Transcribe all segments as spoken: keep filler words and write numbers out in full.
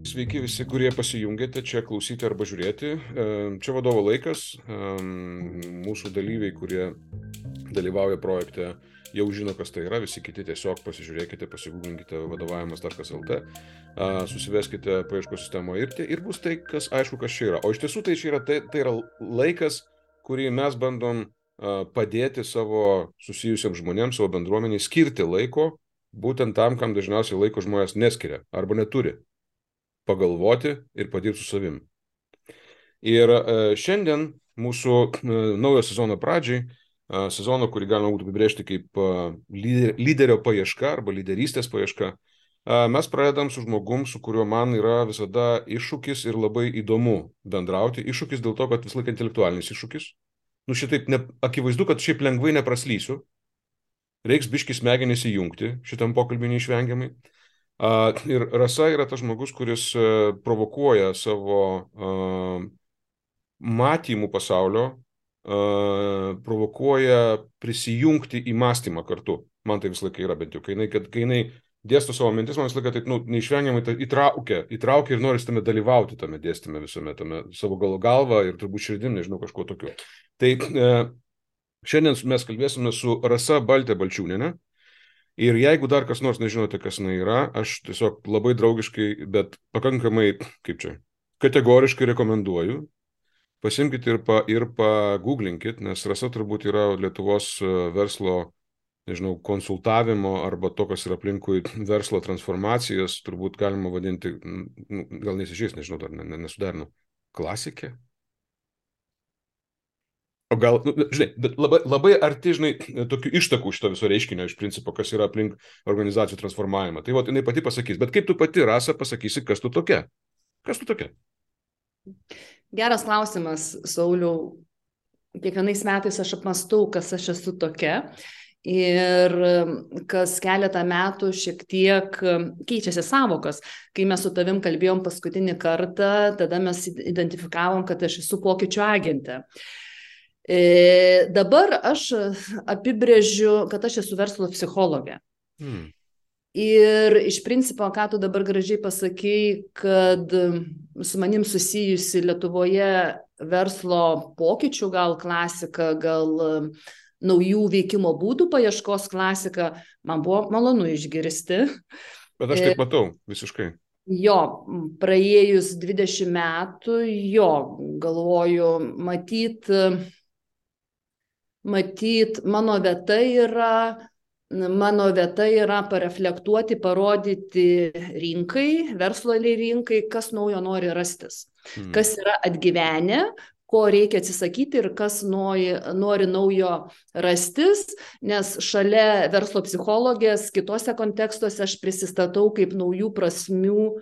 Sveiki visi, kurie pasijungėte čia klausyti arba žiūrėti. Čia vadovo laikas. Mūsų dalyviai, kurie dalyvauja projekte, jau žino, kas tai yra. Visi kiti tiesiog pasižiūrėkite, pasigūglinkite vadovavimas taškas lt, susiveskite paieškos sistemoje ir, ir bus tai, kas aišku, kas čia yra. O iš tiesų tai čia yra, tai, tai yra laikas, kurį mes bandom padėti savo susijusiems žmonėms, savo bendruomeniai, skirti laiko būtent tam, kam dažniausiai laiko žmonės neskiria arba neturi. Pagalvoti ir padirbti su savim. Ir šiandien mūsų naujo sezono pradžiai, sezono, kurį galima būtų apibrėžti kaip lyderio paieška arba lyderystės paieška, mes pradedam su žmogum, su kuriuo man yra visada iššūkis ir labai įdomu bendrauti. Iššūkis dėl to, kad vis laik intelektualinis iššūkis. Nu šitaip, ne, akivaizdu, kad šiaip lengvai nepraslysiu. Reiks biškį smegenis įjungti šitam pokalbį neišvengiamai. Uh, ir Rasa yra tas žmogus, kuris uh, provokuoja savo uh, matymų pasaulio, uh, provokuoja prisijungti į mąstymą kartu. Man tai visą laiką yra bent jau. Kai jinai, kad, kai jinai dėsto savo mintis, man visą laiką taip, nu, neišvengiamai tai įtraukia, įtraukia ir nori tame dalyvauti tame dėstyme visame, tame savo gal galvą ir turbūt širdim, nežinau, kažko tokio. Tai uh, šiandien mes kalbėsime su Rasa Baltė Balčiūnienė. Ir jeigu dar kas nors nežinote, kas jinai yra, aš tiesiog labai draugiškai, bet pakankamai, kaip čia, kategoriškai rekomenduoju. Pasimkite ir, pa, ir pagooglinkit, nes Rasa turbūt yra Lietuvos verslo, nežinau, konsultavimo arba to, kas yra aplinkui verslo transformacijas, turbūt galima vadinti, gal nesižiais, nežinau, dar nesuderinu, klasikė. O gal, nu, žinai, bet labai, labai arti, žinai, tokių ištakų šito viso reiškinio iš principo, kas yra aplink organizacijų transformavimą. Tai vat, jinai pati pasakys. Bet kaip tu pati, Rasa, pasakysi, kas tu tokia? Kas tu tokia? Geras klausimas, Sauliau. Kiekvienais metais aš apmastau, kas aš esu tokia. Ir kas keletą metų šiek tiek keičiasi savokas. Kai mes su tavim kalbėjom paskutinį kartą, tada mes identifikavom, kad aš esu pokyčių agentė. E, dabar aš apibrėžiu, kad aš esu verslo psichologė. Hmm. Ir iš principo, ką tu dabar gražiai pasakei, kad su manim susijusi Lietuvoje verslo pokyčių, gal klasika, gal naujų veikimo būdų paieškos klasika, man buvo malonu išgirsti. Bet aš taip matau, visiškai. Jo, praėjus dvidešimt metų, jo, galvoju, matyt, Matyt, mano vieta yra, mano vieta yra pareflektuoti, parodyti rinkai, verslo rinkai, kas naujo nori rastis, hmm. kas yra atgyvenę, ko reikia atsisakyti ir kas nori, nori naujo rastis, nes šalia verslo psichologės kitose kontekstuose aš prisistatau kaip naujų prasmių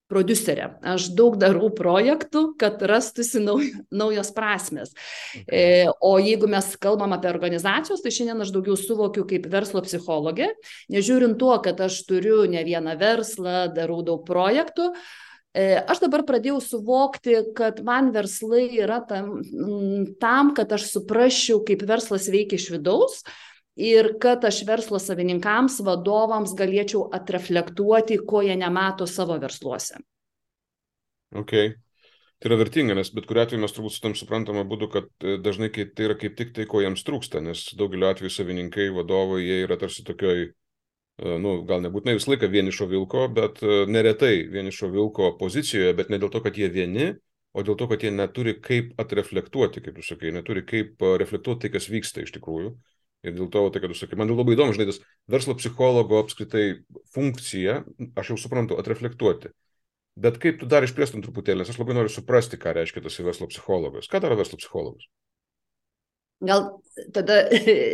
prodiuserė. Aš daug darau projektų, kad rastųsi nauj, naujos prasmės. Okay. E, o jeigu mes kalbam apie organizacijos, tai šiandien aš daugiau suvokiu kaip verslo psichologė, nežiūrint tuo, kad aš turiu ne vieną verslą, darau daug projektų. E, aš dabar pradėjau suvokti, kad man verslai yra tam, tam, kad aš suprasčiau, kaip verslas veikia iš vidaus, ir kad aš verslo savininkams, vadovams galėčiau atreflektuoti, ko jie nemato savo versluose. Ok. Tai yra vertinga, nes bet kuriuo atveju mes turbūt su tam suprantama būdu, kad dažnai tai yra kaip tik tai, ko jiems trūksta, nes daugeliu atveju savininkai, vadovai, jie yra tarsi tokioj, nu, gal nebūtinai visą laiką vienišo vilko, bet neretai vienišo vilko pozicijoje, bet ne dėl to, kad jie vieni, o dėl to, kad jie neturi kaip atreflektuoti, kaip tu sakai, neturi kaip reflektuoti tai, kas vyksta iš tikrųjų. Ir dėl to, tai, kad jūs sakai, man labai įdomu, žinai, tas verslo psichologo apskritai funkcija, aš jau suprantu, atreflektuoti. Bet kaip tu dar išplėstum truputėlį, nes aš labai noriu suprasti, ką reiškia tas verslo psichologas. Ką daro verslo psichologas? Gal tada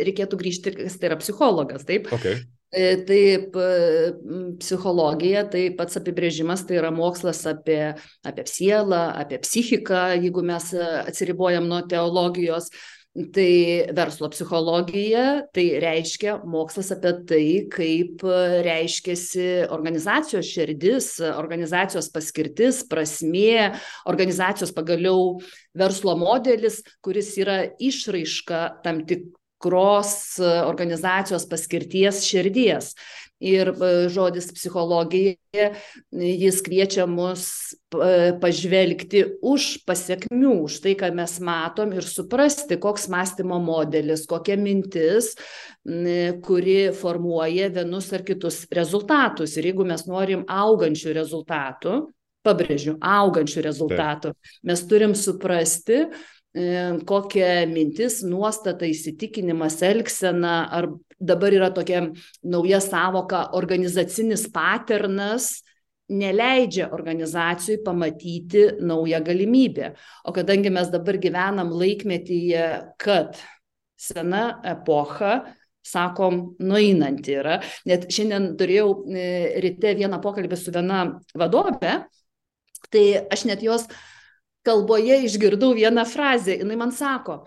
reikėtų grįžti, kas tai yra psichologas, taip? Okay. Taip, psichologija, tai pats apibrėžimas, tai yra mokslas apie, apie sielą, apie psichiką, jeigu mes atsiribojam nuo teologijos. Tai verslo psichologija, tai reiškia mokslas apie tai, kaip reiškiasi organizacijos širdis, organizacijos paskirtis, prasmė, organizacijos pagaliau verslo modelis, kuris yra išraiška tam tik tikros organizacijos paskirties širdies. Ir žodis psichologija, jis kviečia mus pažvelgti už pasiekmių, už tai, ką mes matom ir suprasti, koks mąstymo modelis, kokia mintis, kuri formuoja vienus ar kitus rezultatus. Ir jeigu mes norim augančių rezultatų, pabrėžiu, augančių rezultatų, Taip. mes turim suprasti, kokia mintis, nuostata, įsitikinimas, elgsena, ar dabar yra tokia nauja savoka organizacinis paternas, neleidžia organizacijai pamatyti naują galimybę. O kadangi mes dabar gyvenam laikmetyje, kad sena epocha, sakom, nueinanti yra. Net šiandien turėjau ryte vieną pokalbį su viena vadove, tai aš net jos kalboje išgirdau vieną frazę, jinai man sako,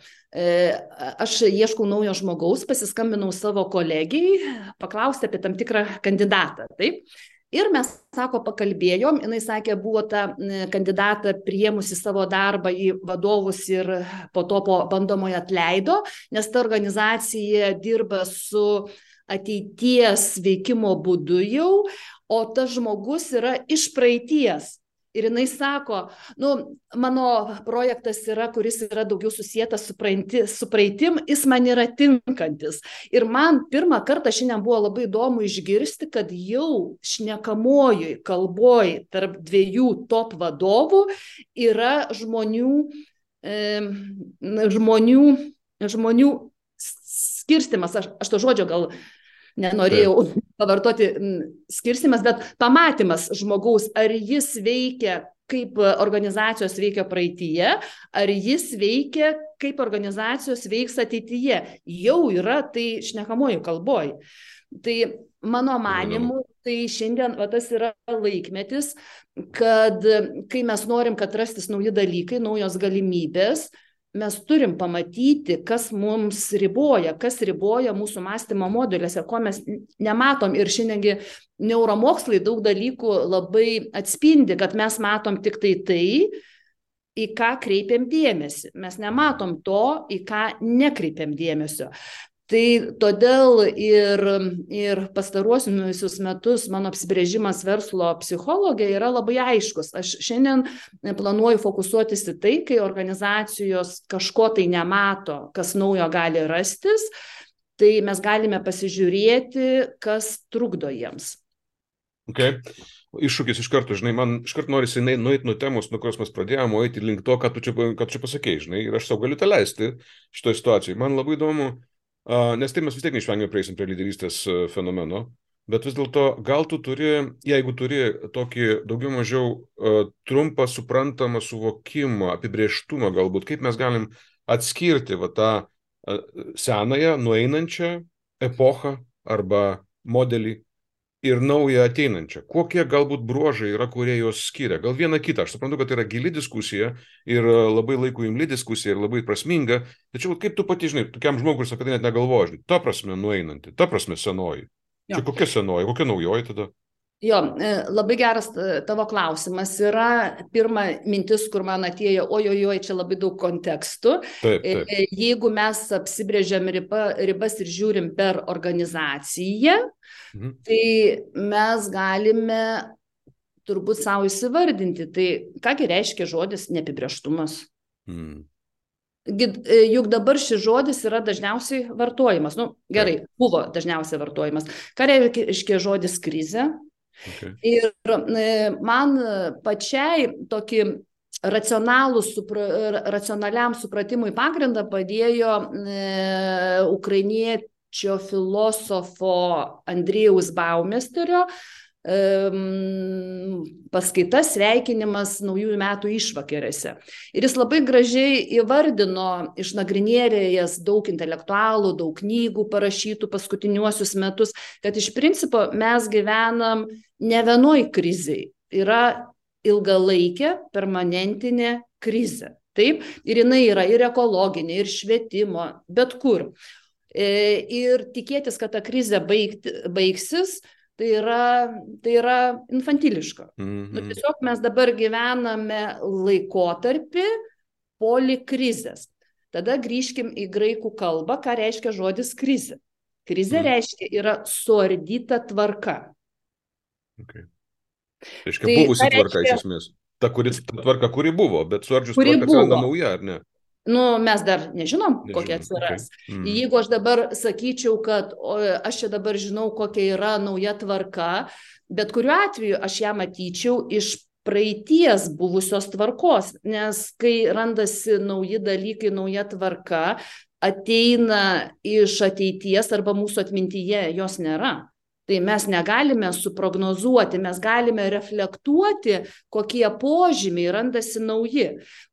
aš ieškau naujo žmogaus, pasiskambinau savo kolegijai, paklausti apie tam tikrą kandidatą, taip? Ir mes, sako, pakalbėjom, jinai sakė, buvo tą kandidatą priėmusi savo darbą į vadovus ir po to po bandomojo atleido, nes ta organizacija dirba su ateities veikimo būdu jau, o tas žmogus yra iš praeities. Ir jinai sako, nu, mano projektas yra, kuris yra daugiau susietas su, praeiti, su praeitim, jis man yra tinkantis. Ir man pirmą kartą šiandien buvo labai įdomu išgirsti, kad jau šnekamojoj kalboj tarp dviejų top vadovų yra žmonių, e, žmonių, žmonių skirstimas. Aš, aš to žodžio gal nenorėjau pavartoti skirstimas, bet pamatymas žmogaus, ar jis veikia kaip organizacijos veikia praeityje, ar jis veikia kaip organizacijos veiks ateityje. Jau yra tai šnekamojų kalboj. Tai mano manimu, tai šiandien va, tas yra laikmetis, kad kai mes norim, kad rastis nauji dalykai, naujos galimybės, mes turim pamatyti, kas mums riboja, kas riboja mūsų mąstymo modeliuose, ko mes nematom. Ir šiandiengi neuromokslai daug dalykų labai atspindi, kad mes matom tik tai tai, į ką kreipiam dėmesį. Mes nematom to, į ką nekreipiam dėmesio. Tai todėl ir, ir pastaruosius metus mano apsibrėžimas verslo psichologija yra labai aiškus. Aš šiandien planuoju fokusuotis į tai, kai organizacijos kažko tai nemato, kas naujo gali rastis, tai mes galime pasižiūrėti, kas trukdo jiems. Okay. Iššūkis iš karto, žinai, man iš karto norisi nueiti nuo temos, nuo kurios mes pradėjome, eiti link to, ką tu čia, ką tu čia pasakėjai, žinai, ir aš sau galiu tą leisti šitoje situacijoje. Man labai įdomu, nes tai mes vis tiek neišvengiamai prieisim prie lyderystės fenomeno, bet vis dėlto gal tu turi, jeigu turi tokį daugiau mažiau uh, trumpą, suprantamą suvokimą, apibrėžtumą galbūt, kaip mes galim atskirti va, tą uh, senąją, nueinančią epochą arba modelį ir naują ateinančią. Kokie galbūt bruožai yra, kurie juos skiria? Gal vieną kitą. Aš suprantu, kad tai yra gili diskusija ir labai laiku imli diskusija ir labai prasminga. Tačiau kaip tu pati, žinai, tokiam žmogui, kuris apie tai net negalvoja, žinai, ta prasme nueinanti, ta prasme senoji. Jo. Čia kokia senoji, kokia naujoji tada? Jo, labai geras tavo klausimas. Yra pirma mintis, kur man atėjo, ojojoj, čia labai daug kontekstų. Taip, taip. Jeigu mes apsibrėžiam riba, ribas ir žiūrim per organizaciją, mhm. tai mes galime turbūt savo įsivardinti. Tai kągi reiškia žodis neapibrėžtumas? Mhm. Juk dabar šis žodis yra dažniausiai vartojimas. Nu, gerai, taip. Buvo dažniausiai vartojimas. Ką reiškia žodis krizė? Okay. Ir man pačiai tokį racionalų, supra, racionaliam supratimui pagrindą padėjo e, ukrainiečio filosofo Andrėjaus Baumesterio e, paskaita sveikinimas naujųjų metų išvakarėse. Ir jis labai gražiai įvardino, išnagrinėjęs daug intelektualų, daug knygų parašytų paskutiniuosius metus, kad iš principo mes gyvenam ne vienoj krizėj, yra ilgalaikė, permanentinė krizė. Taip? Ir jinai yra ir ekologinė, ir švietimo, bet kur. E, ir tikėtis, kad ta krizė baigti, baigsis, tai yra, tai yra infantiliška. Mm-hmm. Nu, tiesiog mes dabar gyvename laikotarpį polikrizės. Tada grįžkim į graikų kalbą, ką reiškia žodis krizė. Krizė Mhm. reiškia yra suardyta tvarka. Okay. Reiškia, Tai buvusi ką tvarka iš reiškia, esmės. Ta, kuri, ta tvarka, kuri buvo, bet suardžius kuri tvarka atsiranda buvo? nauja, ar ne? Nu, mes dar nežinom, kokia Nežinom. Okay. atsiras. Mhm. Jeigu aš dabar sakyčiau, kad o, aš čia dabar žinau, kokia yra nauja tvarka, bet kuriuo atveju aš ją matyčiau iš praeities buvusios tvarkos, nes kai randasi nauji dalykai, nauja tvarka, ateina iš ateities arba mūsų atmintyje jos nėra. Tai mes negalime suprognozuoti, mes galime reflektuoti, kokie požymiai randasi nauji.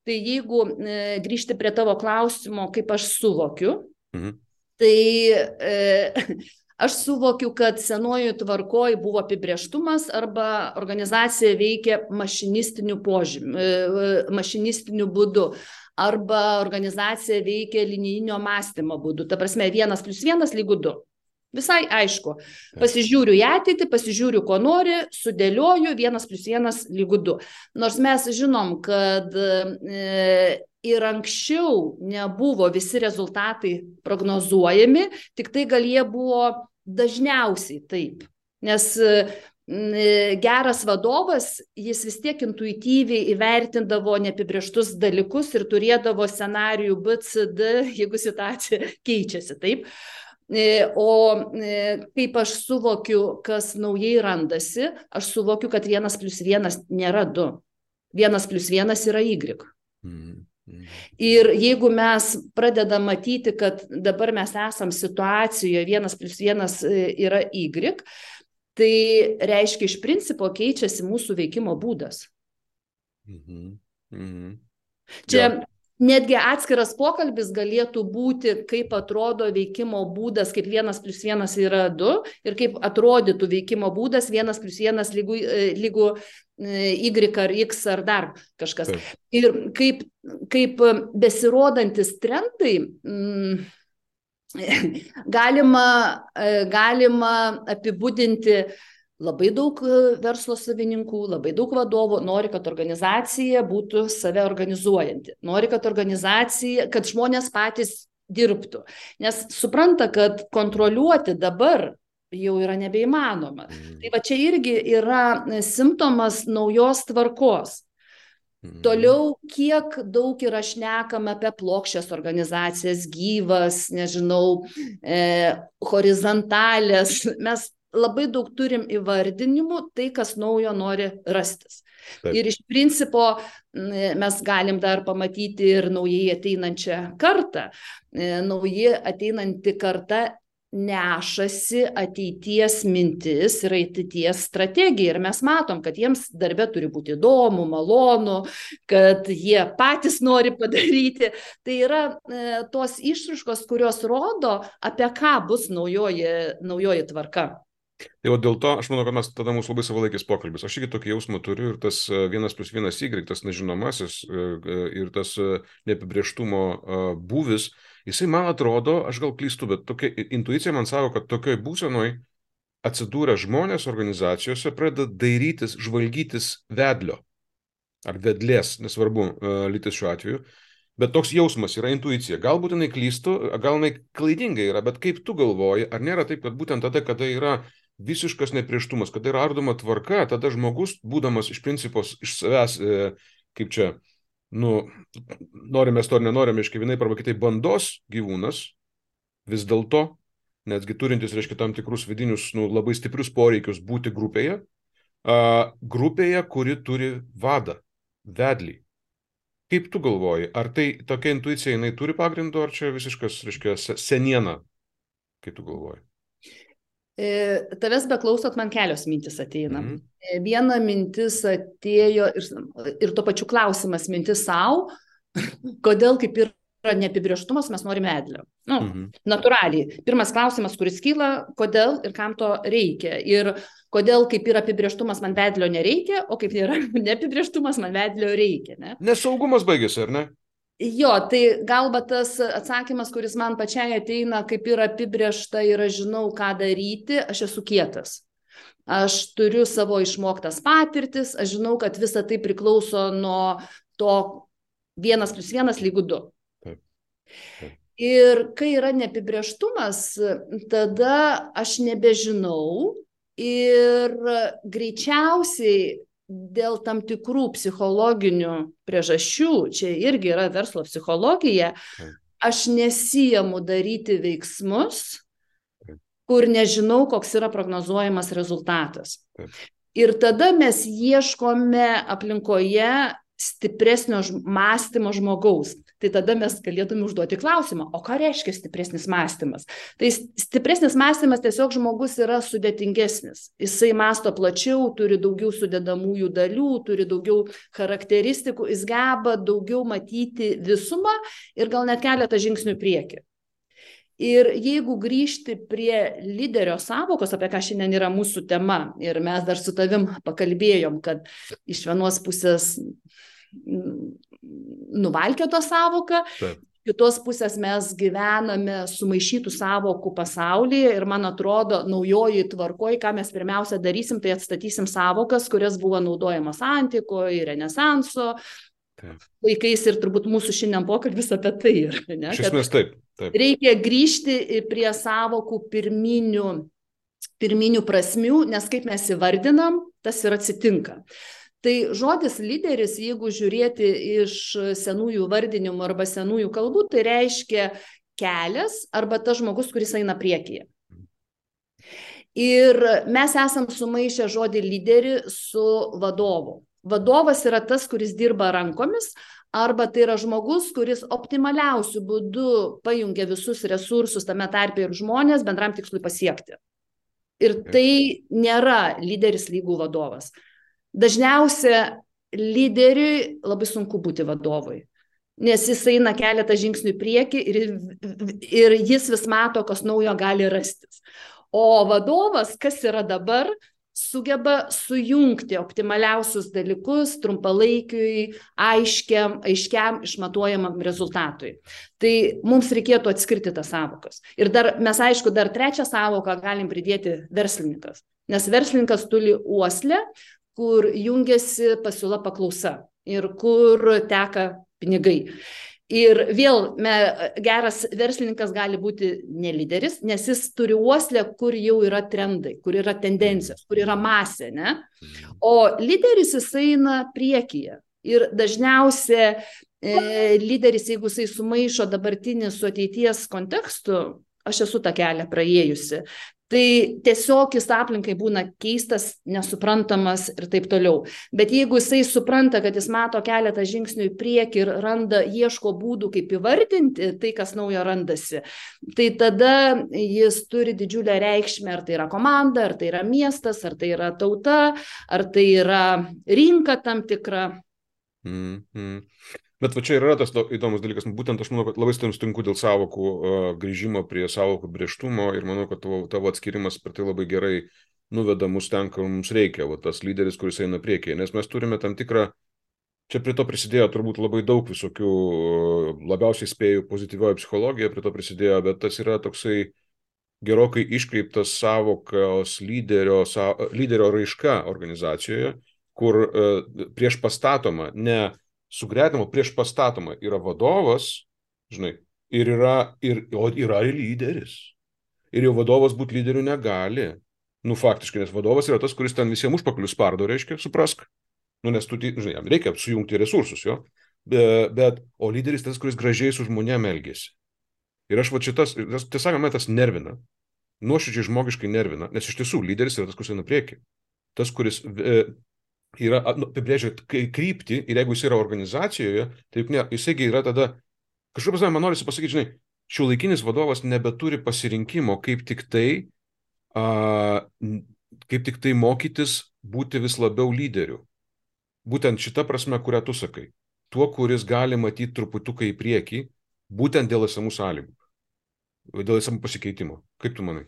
Tai jeigu e, grįžti prie tavo klausimo, kaip aš suvokiu, Mhm. tai e, aš suvokiu, kad senojoje tvarkoje buvo apibrėžtumas arba organizacija veikia mašinistiniu požymiu, e, mašinistiniu būdu. Arba organizacija veikia linijinio mąstymo būdu. Ta prasme, vienas plus vienas lygu du. Visai aišku. Pasižiūriu į ateitį, pasižiūriu, ko nori, sudėlioju, vienas plus vienas lygu du. Nors mes žinom, kad e, ir anksčiau nebuvo visi rezultatai prognozuojami, tik tai gal jie buvo dažniausiai taip. Nes e, geras vadovas, jis vis tiek intuityviai įvertindavo neapibrėžtus dalykus ir turėdavo scenarijų B, C, D, jeigu situacija keičiasi, taip. O kaip aš suvokiu, kas naujai randasi, aš suvokiu, kad vienas plus vienas nėra du. Vienas plus vienas yra Y. Mhm. Mhm. Ir jeigu mes pradedam matyti, kad dabar mes esam situacijoje, vienas plus vienas yra Y, tai reiškia iš principo keičiasi mūsų veikimo būdas. Mhm. Mhm. Čia Ja. netgi atskiras pokalbis galėtų būti, kaip atrodo veikimo būdas, kaip vienas plus vienas yra du ir kaip atrodytų veikimo būdas vienas plus vienas lygu, lygu Y ar X ar dar kažkas. Taip. Ir kaip, kaip besirodantis trendai mm, galima, galima apibūdinti. Labai daug verslo savininkų, labai daug vadovų nori, kad organizacija būtų save organizuojanti. Nori, kad organizacija, kad žmonės patys dirbtų. Nes supranta, kad kontroliuoti dabar jau yra nebeįmanoma. Mm. Tai va čia irgi yra simptomas naujos tvarkos. Mm. Toliau, kiek daug yra šnekama apie plokščias organizacijas, gyvas, nežinau, e, horizontalės. Mes labai daug turim įvardinimų, tai kas naujo nori rastis. Taip. Ir iš principo mes galim dar pamatyti ir naujai ateinančią kartą. Naujai ateinanti karta nešasi ateities mintis ir ateities strategija. Ir mes matom, kad jiems darbe turi būti įdomu, malonu, kad jie patys nori padaryti. Tai yra e, tos išraiškos, kurios rodo, apie ką bus naujoji, naujoji tvarka. Tai o dėl to, aš manau, kad mes tada mūsų labai savalaikis pokalbis. Aš irgi tokį jausmą turiu ir tas vienas plus vienas Y, tas nežinomasis ir tas neapibrėžtumo būvis, jisai man atrodo, aš gal klystu, bet tokia intuicija man sako, kad tokioj būsenoj atsidūrę žmonės organizacijose pradeda dairytis, žvalgytis vedlio ar vedlės, nesvarbu, lytis šiuo atveju. Bet toks jausmas yra intuicija. Galbūt jinai klystų, gal jinai klaidingai yra, bet kaip tu galvoji, ar nėra taip, kad būtent tada, kada yra visiškas neprieštumas, kada yra ardoma tvarka, tada žmogus, būdamas iš principos iš savęs, e, kaip čia, nu, norime to ar nenorime, reiškia vienaip arba kitaip bandos gyvūnas, vis dėlto, netgi turintis, reiškia, tam tikrus vidinius, nu, labai stiprius poreikius būti grupėje, a, grupėje, kuri turi vadą, vedlį. Kaip tu galvoji, ar tai tokia intuicija, jinai turi pagrindo, ar čia visiškas, reiškia, seniena, kaip tu galvoji? Tavęs beklausot, man kelios mintis ateina. Mm-hmm. Viena mintis atėjo ir, ir tuo pačiu klausimas mintis savo, kodėl kaip yra neapibrėžtumas, mes norime vedlio. Nu, mm-hmm. Natūraliai. Pirmas klausimas, kuris kyla, kodėl ir kam to reikia. Ir kodėl kaip yra apibrėžtumas, man vedlio nereikia, o kaip yra neapibrėžtumas, man vedlio reikia. Ne? Nesaugumas baigėsi, ar ne? Jo, tai galbūt tas atsakymas, kuris man pačiai ateina, kaip yra apibrėžta ir aš žinau, ką daryti, aš esu kietas. Aš turiu savo išmoktas patirtis, aš žinau, kad visa tai priklauso nuo to vienas plus vienas lygu du. Taip. Taip. Ir kai yra neapibrėžtumas, tada aš nebežinau ir greičiausiai dėl tam tikrų psichologinių priežasčių, čia irgi yra verslo psichologija, aš nesiimu daryti veiksmus, kur nežinau, koks yra prognozuojamas rezultatas. Ir tada mes ieškome aplinkoje stipresnio mąstymo žmogaus. Tai tada mes galėtume užduoti klausimą, o ką reiškia stipresnis mąstymas? Tai stipresnis mąstymas tiesiog žmogus yra sudėtingesnis. Jisai mąsto plačiau, turi daugiau sudedamųjų dalių, turi daugiau charakteristikų, jis geba daugiau matyti visumą ir gal net keletą žingsnių į priekį. Ir jeigu grįžti prie lyderio sąvokos, apie ką šiandien yra mūsų tema, ir mes dar su tavim pakalbėjom, kad iš vienos pusės nuvalkioto sąvoką, Taip. kitos pusės mes gyvename sumaišytų sąvokų pasaulyje ir man atrodo naujoji tvarkoj, ką mes pirmiausia darysim, tai atstatysim sąvokas, kurias buvo naudojamos antikoje, renesanso Taip. laikais ir turbūt mūsų šiandien pokalbis apie tai yra. Ne? Iš esmės taip, taip. Reikia grįžti prie sąvokų pirminių, pirminių prasmių, nes kaip mes įvardinam, tas ir atsitinka. Tai žodis lyderis, jeigu žiūrėti iš senųjų vardinimų arba senųjų kalbų, tai reiškia kelias arba tas žmogus, kuris eina priekyje. Ir mes esam sumaišę žodį lyderį su vadovu. Vadovas yra tas, kuris dirba rankomis, arba tai yra žmogus, kuris optimaliausių būdų pajungia visus resursus, tame tarpe ir žmonės, bendram tikslui pasiekti. Ir tai nėra lyderis lygų vadovas. Dažniausia lyderiui labai sunku būti vadovui, nes jis eina keletą žingsnių į priekį ir, ir jis vis mato, kas naujo gali rastis. O vadovas, kas yra dabar, sugeba sujungti optimaliausius dalykus trumpalaikiui, aiškiam, aiškiam, išmatuojamam rezultatui. Tai mums reikėtų atskirti tas sąvokas. Ir dar, mes aišku, dar trečią sąvoką galim pridėti verslininkas. Nes verslininkas turi uoslę, kur jungiasi pasiūla paklausa ir kur teka pinigai. Ir vėl me, geras verslininkas gali būti ne lyderis, nes jis turi uoslę, kur jau yra trendai, kur yra tendencijos, kur yra masė, ne? O lyderis jis eina priekyje. Ir dažniausia e, lyderis, jeigu jisai sumaišo dabartinį su ateities kontekstu, aš esu tą kelią praėjusi, tai tiesiog jis aplinkai būna keistas, nesuprantamas ir taip toliau. Bet jeigu jisai supranta, kad jis mato keletą žingsnių į priekį ir randa, ieško būdų, kaip įvardinti tai, kas naujo randasi, tai tada jis turi didžiulę reikšmę, ar tai yra komanda, ar tai yra miestas, ar tai yra tauta, ar tai yra rinka tam tikra. Mm, mm. Bet va čia yra tas įdomus dalykas, būtent aš manau, kad labai sutinku dėl sąvokų uh, grįžimo prie sąvokų brėžtumo ir manau, kad tavo, tavo atskirimas per tai labai gerai nuveda mus ten, kur mums reikia, va, tas lyderis, kuris eina priekyje, nes mes turime tam tikrą, čia prie to prisidėjo turbūt labai daug visokių, labiausiai spėjų pozityvioji psichologija prie to prisidėjo, bet tas yra toksai gerokai iškreiptas sąvokos lyderio, sa, lyderio raiška organizacijoje, kur uh, prieš pastatoma ne sugretimo, prieš pastatoma yra vadovas, žinai, ir yra, ir, o yra ir lyderis. Ir jau vadovas būti lyderiu negali. Nu, faktiškai, nes vadovas yra tas, kuris ten visiems užpaklius spardo, reiškia, suprask. Nu, nes tu, žinai, jam reikia sujungti resursus, jo. Be, bet, o lyderis tas, kuris gražiai su žmonėm elgėsi. Ir aš va šitas, tiesą man tas nervina, nuoširdžiai žmogiškai nervina, nes iš tiesų lyderis yra tas, kuris eina prieki. Tas, kuris e, yra, nu, apibrėžia kryptį ir jeigu jis yra organizacijoje, tai juk ne, jisai yra tada, kažkaip man norisi pasakyti, žinai, šiuolaikinis vadovas nebeturi pasirinkimo, kaip tik tai, a, kaip tik tai mokytis būti vis labiau lyderiu. Būtent šita prasme, kurią tu sakai. Tuo, kuris gali matyti truputuką į priekį, būtent dėl esamų sąlygų, dėl esamų pasikeitimo. Kaip tu manai?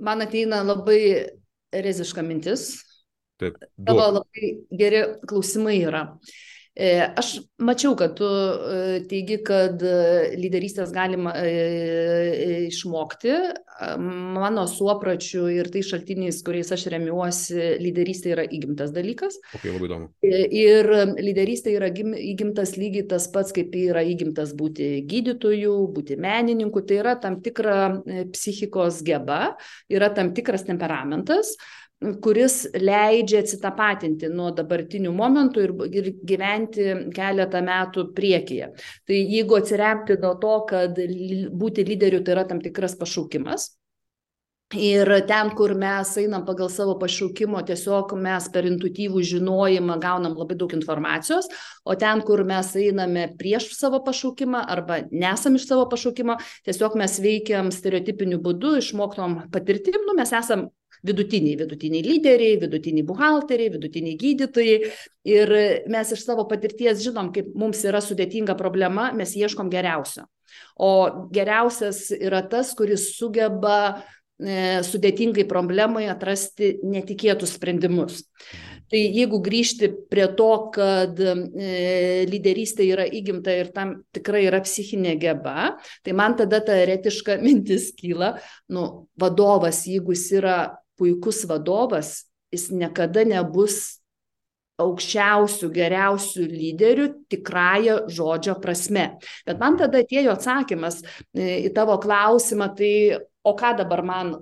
Man ateina labai reziška mintis. Taip, Tavo labai geri klausimai yra. Aš mačiau, kad tu teigi, kad lyderystės galima išmokti. Mano suopračiu ir tai šaltiniais, kuriais aš remiuosi, lyderystė yra įgimtas dalykas. Okay, labai įdomu. Ir lyderystė yra įgimtas lygiai tas pats, kaip yra įgimtas būti gydytoju, būti menininku. Tai yra tam tikra psichikos geba, yra tam tikras temperamentas, kuris leidžia atsitapatinti nuo dabartinių momentų ir, ir gyventi keletą metų priekyje. Tai jeigu atsiremti nuo to, kad būti lyderiu tai yra tam tikras pašaukimas, ir ten, kur mes einam pagal savo pašaukimo, tiesiog mes per intuityvų žinojimą gaunam labai daug informacijos, o ten, kur mes einame prieš savo pašaukimą arba nesam iš savo pašaukimo, tiesiog mes veikiam stereotipiniu būdu, išmoktom patirtim, nu mes esam vidutiniai, vidutiniai lyderiai, vidutiniai buhalteriai, vidutiniai gydytojai, ir mes iš savo patirties žinom, kaip mums yra sudėtinga problema, mes ieškom geriausio. O geriausias yra tas, kuris sugeba e, sudėtingai problemai atrasti netikėtus sprendimus. Tai jeigu grįžti prie to, kad e, lyderystė yra įgimta ir tam tikrai yra psichinė geba, tai man tada ta eretiška mintis kyla, nu, vadovas, jeigu jis yra puikus vadovas, jis niekada nebus aukščiausių, geriausių lyderių tikrąją žodžio prasme. Bet man tada atėjo atsakymas į tavo klausimą, tai o ką dabar man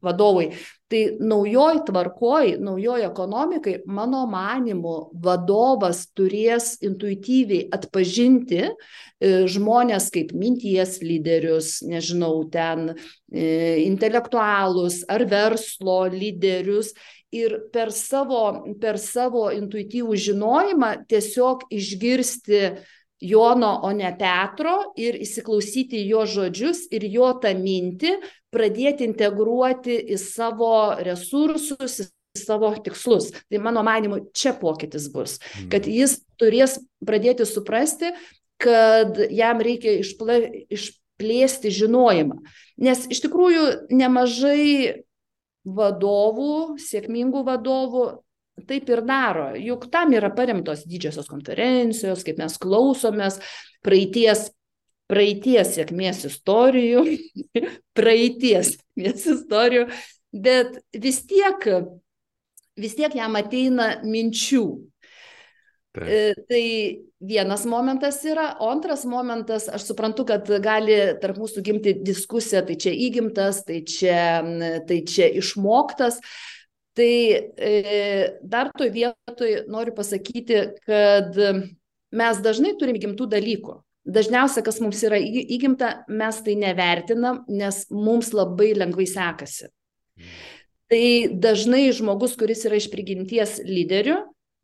vadovai? Tai naujoj tvarkoj, naujoj ekonomikai, mano manymu, vadovas turės intuityviai atpažinti žmonės kaip minties lyderius, nežinau, ten intelektualus ar verslo lyderius, ir per savo, per savo intuityvų žinojimą tiesiog išgirsti Jono, o ne Petro, ir įsiklausyti jo žodžius ir jo tą mintį pradėti integruoti į savo resursus, į savo tikslus. Tai mano manimu, čia pokytis bus, kad jis turės pradėti suprasti, kad jam reikia išpla, išplėsti žinojimą. Nes iš tikrųjų nemažai vadovų, sėkmingų vadovų taip ir daro. Juk tam yra paremtos didžiosios konferencijos, kaip mes klausomės praeities, praeities sėkmės istorijų, praeities sėkmės istorijų, bet vis tiek, vis tiek jam ateina minčių. Taip. Tai vienas momentas yra, o antras momentas, aš suprantu, kad gali tarp mūsų gimti diskusija, tai čia įgimtas, tai čia, tai čia išmoktas. Tai e, dar toj vietoj noriu pasakyti, kad mes dažnai turim įgimtų dalykų. Dažniausia, kas mums yra įgimta, mes tai nevertinam, nes mums labai lengvai sekasi. Tai dažnai žmogus, kuris yra iš prigimties lyderiu,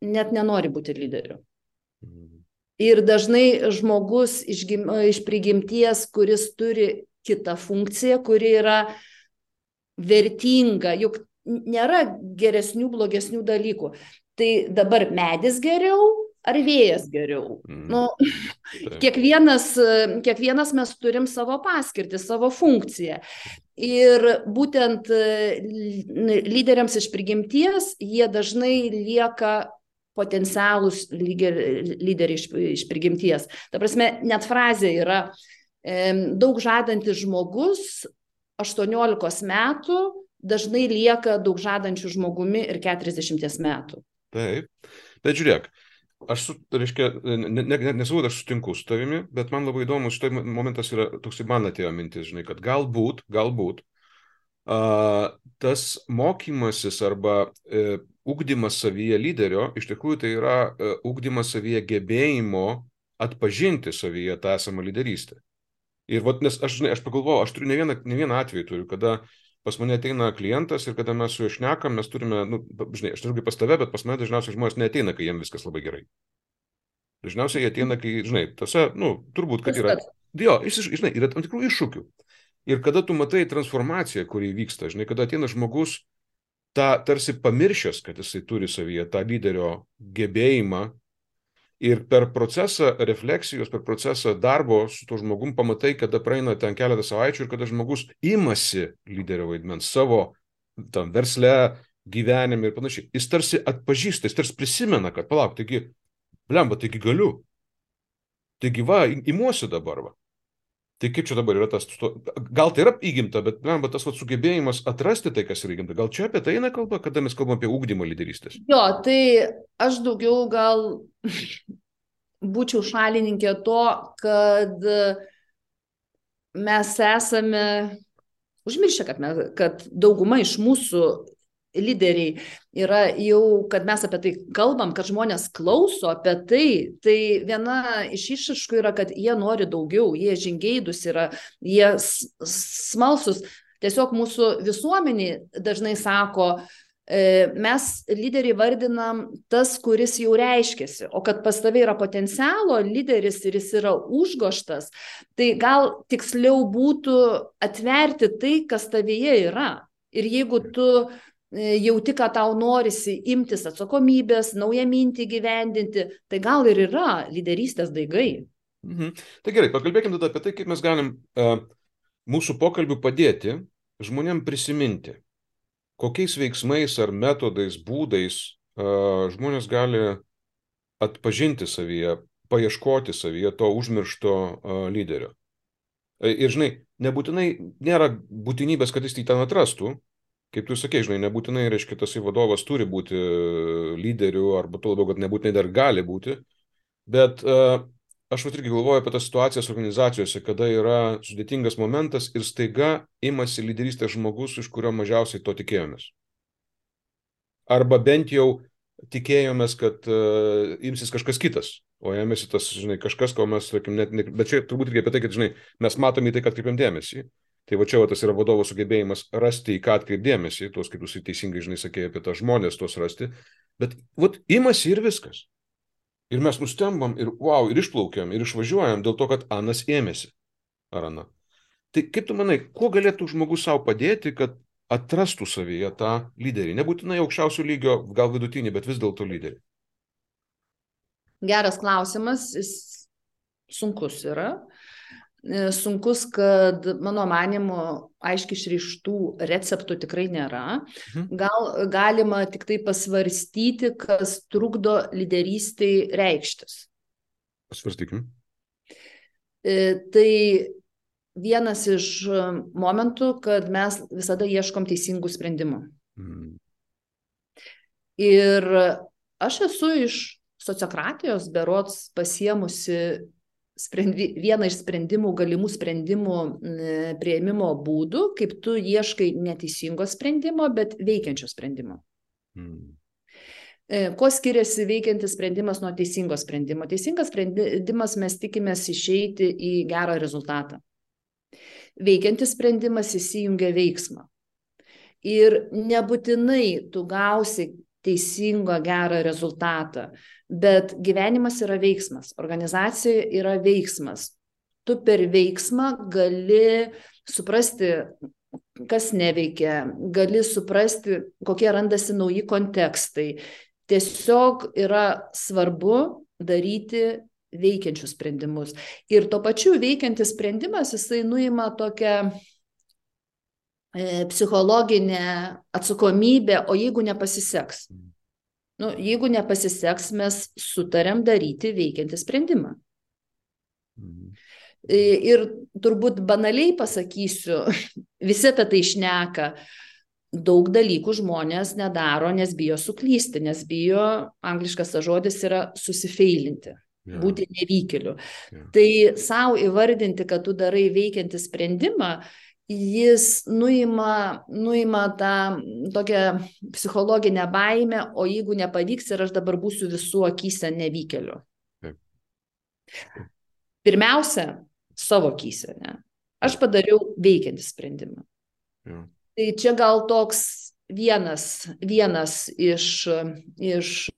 net nenori būti lyderiu. Ir dažnai žmogus iš, iš prigimties, kuris turi kitą funkciją, kuri yra vertinga, juk nėra geresnių, blogesnių dalykų. Tai dabar medis geriau ar vėjas geriau? Mm. Nu, kiekvienas, kiekvienas mes turim savo paskirtį, savo funkciją. Ir būtent lyderiams iš prigimties jie dažnai lieka potencialūs lyderiai iš, iš prigimties. Ta prasme, net frazė yra e, daug žadantis žmogus aštuoniolikos metų dažnai lieka daug žadančių žmogumi ir keturiasdešimties metų. Taip, bet žiūrėk, aš, su, reiškia, ne, ne, nesavau, aš sutinku su tavimi, bet man labai įdomu, štai momentas yra, toks man atėjo mintis, žinai, kad galbūt, galbūt uh, tas mokymasis arba uh, ugdymas savyje lyderio, iš tikrųjų tai yra uh, ugdymas savyje gebėjimo atpažinti savyje tą esamą lyderystę. Ir vat, nes aš, žinai, aš pagalvojau, aš turiu ne vieną, ne vieną atvejį turiu, kada pas mane ateina klientas ir kada mes su juo šnekam, mes turime, nu, žinai, aš turiu pas tave, bet pas mane dažniausiai žmonės neateina, kai jiems viskas labai gerai. Dažniausiai jie ateina, kai, žinai, tose, nu, turbūt, kad yra, jo, žinai, yra tam tikrų iššūkių. Ir kada tu matai transformaciją, kuri vyksta, žinai, kada ateina žmogus, tą tarsi pamiršęs, kad jisai turi savyje tą lyderio gebėjimą, ir per procesą refleksijos, per procesą darbo su to žmogum pamatai, kada praeina ten keletą savaičių ir kada žmogus imasi lyderio vaidmens savo tam versle, gyvenime ir panašiai. Jis tarsi atpažįsta, jis tarsi prisimena, kad palauk, taigi Blemba, taigi galiu. Taigi va, imuosi dabar va. Tai kaip čia dabar yra tas, gal tai yra įgimta, bet blemba, tas va, sugebėjimas atrasti tai, kas yra įgimta. Gal čia apie tai eina kalba, kada mes kalbam apie ugdymą lyderystės? Jo, tai aš daugiau gal būčiau šalininkė to, kad mes esame užmiršę, kad, mes, kad dauguma iš mūsų lyderiai yra jau, kad mes apie tai kalbam, kad žmonės klauso apie tai, tai viena iš išraiškų yra, kad jie nori daugiau, jie žingeidūs yra, jie smalsus. Tiesiog mūsų visuomenė dažnai sako, mes lyderiai vardinam tas, kuris jau reiškiasi, o kad pas tave yra potencialo lyderis ir jis yra užgoštas, tai gal tiksliau būtų atverti tai, kas tavyje yra. Ir jeigu tu jauti, kad tau norisi imtis atsakomybės, naują mintį gyvendinti, tai gal ir yra lyderystės daigai. Mhm. Tai gerai, pakalbėkime tada apie tai, kaip mes galim uh, mūsų pokalbių padėti žmonėm prisiminti, kokiais veiksmais ar metodais, būdais uh, žmonės gali atpažinti savyje, paieškoti savyje to užmiršto uh, lyderio. Ir žinai, nebūtinai nėra būtinybės, kad jis tai ten atrastų. Kaip tu sakei, žinai, nebūtinai, reiškia, tas vadovas turi būti lyderiu, arba tuo labiau, kad nebūtinai dar gali būti. Bet uh, aš vat irgi galvoju apie tas situacijas organizacijose, kada yra sudėtingas momentas ir staiga imasi lyderystės žmogus, iš kurio mažiausiai to tikėjomės. Arba bent jau tikėjomės, kad uh, imsis kažkas kitas, o ėmėsi tas, žinai, kažkas, ko mes, sakim, net, ne, bet čia turbūt irgi apie tai, kad, žinai, mes matome į tai, kad atkreipiam dėmesį. Tai va čia va, tas yra vadovo sugebėjimas rasti, į ką atkreipdėmėsi, tuos, kaip jūs teisingai, žinai, sakėjai apie tą žmonės, tuos rasti, bet vat, imasi ir viskas. Ir mes nustembam, ir wow, ir išplaukiam, ir išvažiuojam dėl to, kad anas ėmėsi, ar ana. Tai kaip tu manai, kuo galėtų žmogus savo padėti, kad atrastų savyje tą lyderį? Nebūtinai aukščiausio lygio, gal vidutinį, bet vis dėlto lyderį. Geras klausimas, jis sunkus yra. Sunkus, kad mano manymu aiškiai išrištų receptų tikrai nėra. Gal galima tik tai pasvarstyti, kas trukdo lyderystei reikštis. Pasvarstykim. Tai vienas iš momentų, kad mes visada ieškom teisingų sprendimų. Mm. Ir aš esu iš sociokratijos berods pasiemusi Sprendi, vieną iš sprendimų, galimų sprendimų priėmimo būdų, kaip tu ieškai neteisingo sprendimo, bet veikiančio sprendimo. Mm. Kuo skiriasi veikiantis sprendimas nuo teisingo sprendimo? Teisingas sprendimas mes tikimės išeiti į gerą rezultatą. Veikiantis sprendimas įsijungia veiksmą. Ir nebūtinai tu gausi teisingą gerą rezultatą, bet gyvenimas yra veiksmas, organizacija yra veiksmas. Tu per veiksmą gali suprasti, kas neveikia, gali suprasti, kokie randasi nauji kontekstai. Tiesiog yra svarbu daryti veikiančius sprendimus. Ir tuo pačiu veikiantis sprendimas, jisai nuima tokią psichologinę atsakomybę, o jeigu nepasiseks? Nu, jeigu nepasiseks, mes sutarėm daryti veikiantį sprendimą. Mhm. Ir turbūt banaliai pasakysiu, visi apie tai šneka, daug dalykų žmonės nedaro, nes bijo suklysti, nes bijo, angliškas žodis yra susifeilinti, ja. Būti nevykėliu. Ja. Tai savo įvardinti, kad tu darai veikiantį sprendimą, jis nuima, nuima tą tokią psichologinę baimę, o jeigu nepavyks ir aš dabar būsiu visų akyse nevykėliu. Pirmiausia, savo akyse, ne? Aš padariau veikiantį sprendimą. Ja. Tai čia gal toks vienas, vienas iš, iš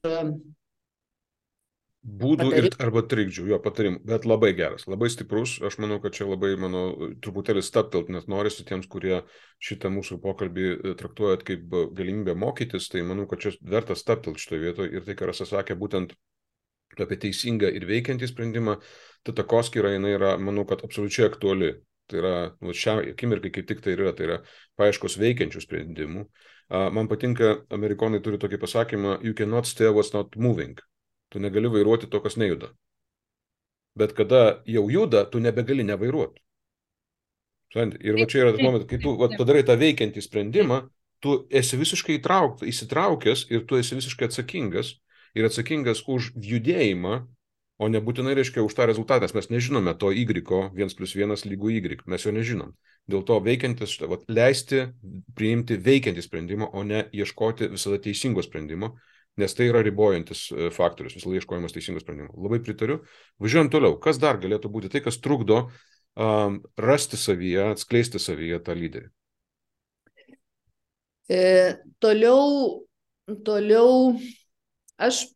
būdų ir, arba trikdžių, jo patarimų, bet labai geras, labai stiprus. Aš manau, kad čia labai, mano, truputėlį staptelt, net norisi tiems, kurie šitą mūsų pokalbį traktuojat kaip galimybę mokytis, tai manau, kad čia verta staptelt šitoje vietoje ir tai, ką Rasa sakė, būtent apie teisingą ir veikiantį sprendimą, ta takoskyra, jinai yra, manau, kad absoliučiai aktuali. Tai yra, nu, šią akimirkai kaip tik tai yra, tai yra paieškos veikiančių sprendimų. Man patinka, amerikonai turi tokį pasakymą, you cannot stay what's not moving. Tu negali vairuoti to, kas nejuda. Bet kada jau juda, tu nebegali nevairuoti. Ir va čia yra tas momentas, kai tu va, padarai tą veikiantį sprendimą, tu esi visiškai įtrauk, įsitraukęs ir tu esi visiškai atsakingas ir atsakingas už judėjimą, o nebūtinai reiškia už tą rezultatą. Mes nežinome to Y, vienas plus vienas lygų Y, mes jo nežinom. Dėl to veikiantis, va, leisti priimti veikiantį sprendimą, o ne ieškoti visada teisingo sprendimo, nes tai yra ribojantis faktorius, visada ieškojimas teisingo sprendimo. Labai pritariu. Važiuojam toliau. Kas dar galėtų būti tai, kas trukdo um, rasti savyje, atskleisti savyje tą lyderį? E, toliau, toliau aš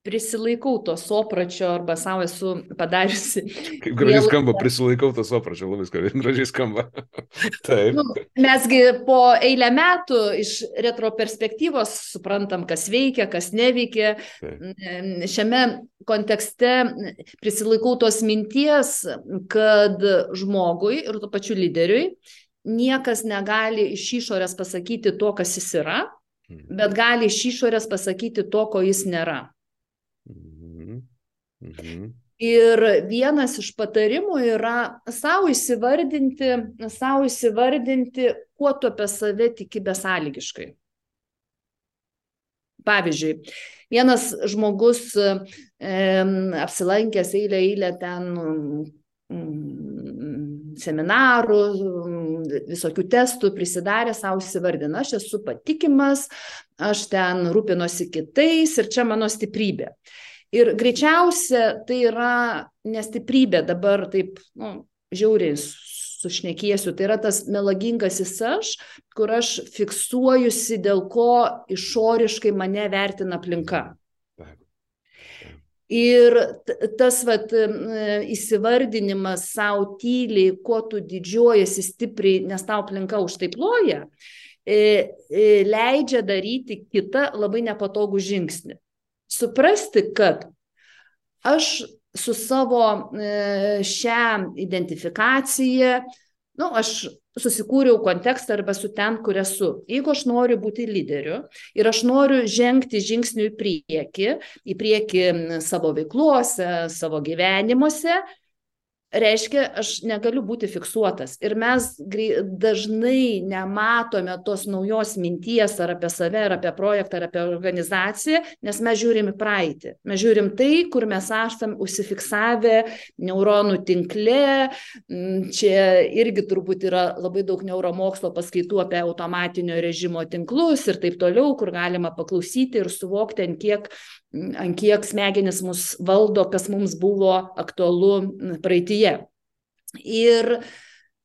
prisilaikau to sopračio arba savo esu padariusi. Kaip gražiai skamba, prisilaikau to sopračio, labai gražiai skamba. Taip. Nu, mesgi po eilę metų iš retroperspektyvos suprantam, kas veikia, kas neveikia. Taip. Šiame kontekste prisilaikau tos minties, kad žmogui ir tuo pačiu lyderiui niekas negali iš išorės pasakyti to, kas jis yra, bet gali iš išorės pasakyti to, ko jis nėra. Mhm. Mhm. Ir vienas iš patarimų yra savo įsivardinti, savo įsivardinti, kuo tu apie save tiki besąlygiškai. Pavyzdžiui, vienas žmogus e, apsilankęs eilę eilę ten mm, seminarų, visokių testų prisidarė, savo įsivardina, aš esu patikimas, aš ten rūpinosi kitais ir čia mano stiprybė. Ir greičiausia tai yra nestiprybė, dabar taip nu, žiauriai sušnekėsiu, tai yra tas melagingasis aš, kur aš fiksuojusi, dėl ko išoriškai mane vertina aplinka. Ir tas vat, įsivardinimas savo tyliai, kuo tu didžiuojasi stipriai, nes tau aplinka už tai ploja, leidžia daryti kitą labai nepatogų žingsnį. Suprasti, kad aš su savo šią identifikaciją, nu, aš susikūriau kontekstą arba su ten, kur esu. Jeigu aš noriu būti lyderiu ir aš noriu žengti žingsnių į priekį, į priekį savo veiklose, savo gyvenimuose, reiškia, aš negaliu būti fiksuotas. Ir mes dažnai nematome tos naujos minties ar apie save, ar apie projektą, ar apie organizaciją, nes mes žiūrim į praeitį. Mes žiūrim tai, kur mes esam užsifiksavę neuronų tinkle. Čia irgi turbūt yra labai daug neuromokslo paskaitų apie automatinio režimo tinklus ir taip toliau, kur galima paklausyti ir suvokti, ant kiek, ant kiek smegenis mus valdo, kas mums buvo aktualu praeityje. Ir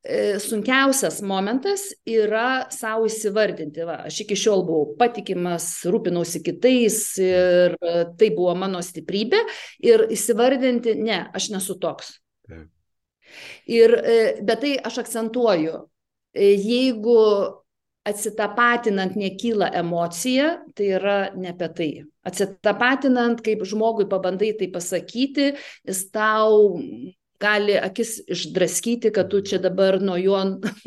e, sunkiausias momentas yra savo įsivardinti. Va, aš iki šiol buvau patikimas, rūpinausi kitais ir e, tai buvo mano stiprybė. Ir įsivardinti, ne, aš nesu toks. Mm. Ir, e, bet tai aš akcentuoju, e, jeigu atsitapatinant nekyla emocija, tai yra ne apie tai. Atsitapatinant, kaip žmogui pabandai tai pasakyti, jis tau gali akis išdraskyti, kad tu čia dabar nuo jo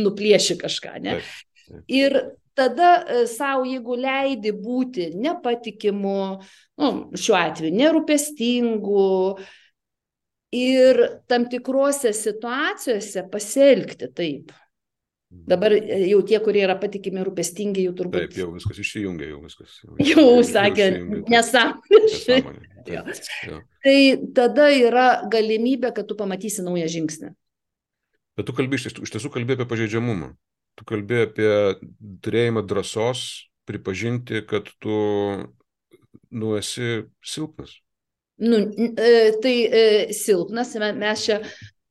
nuplieši kažką. Ne? Taip, taip. Ir tada savo, jeigu leidi būti nepatikimu, nu, šiuo atveju nerūpestingu ir tam tikrose situacijose pasielgti taip. Dabar jau tie, kurie yra patikimi rūpestingi, jau turbūt... Taip, jau viskas išsijungia, jau viskas. Jau, jau, jau sakė, nesąmonė. Tai tada yra galimybė, kad tu pamatysi naują žingsnį. Bet tu kalbi, iš tiesų kalbi apie pažeidžiamumą. Tu kalbi apie turėjimą drąsos pripažinti, kad tu nu, esi silpnas. Nu, tai silpnas, mes čia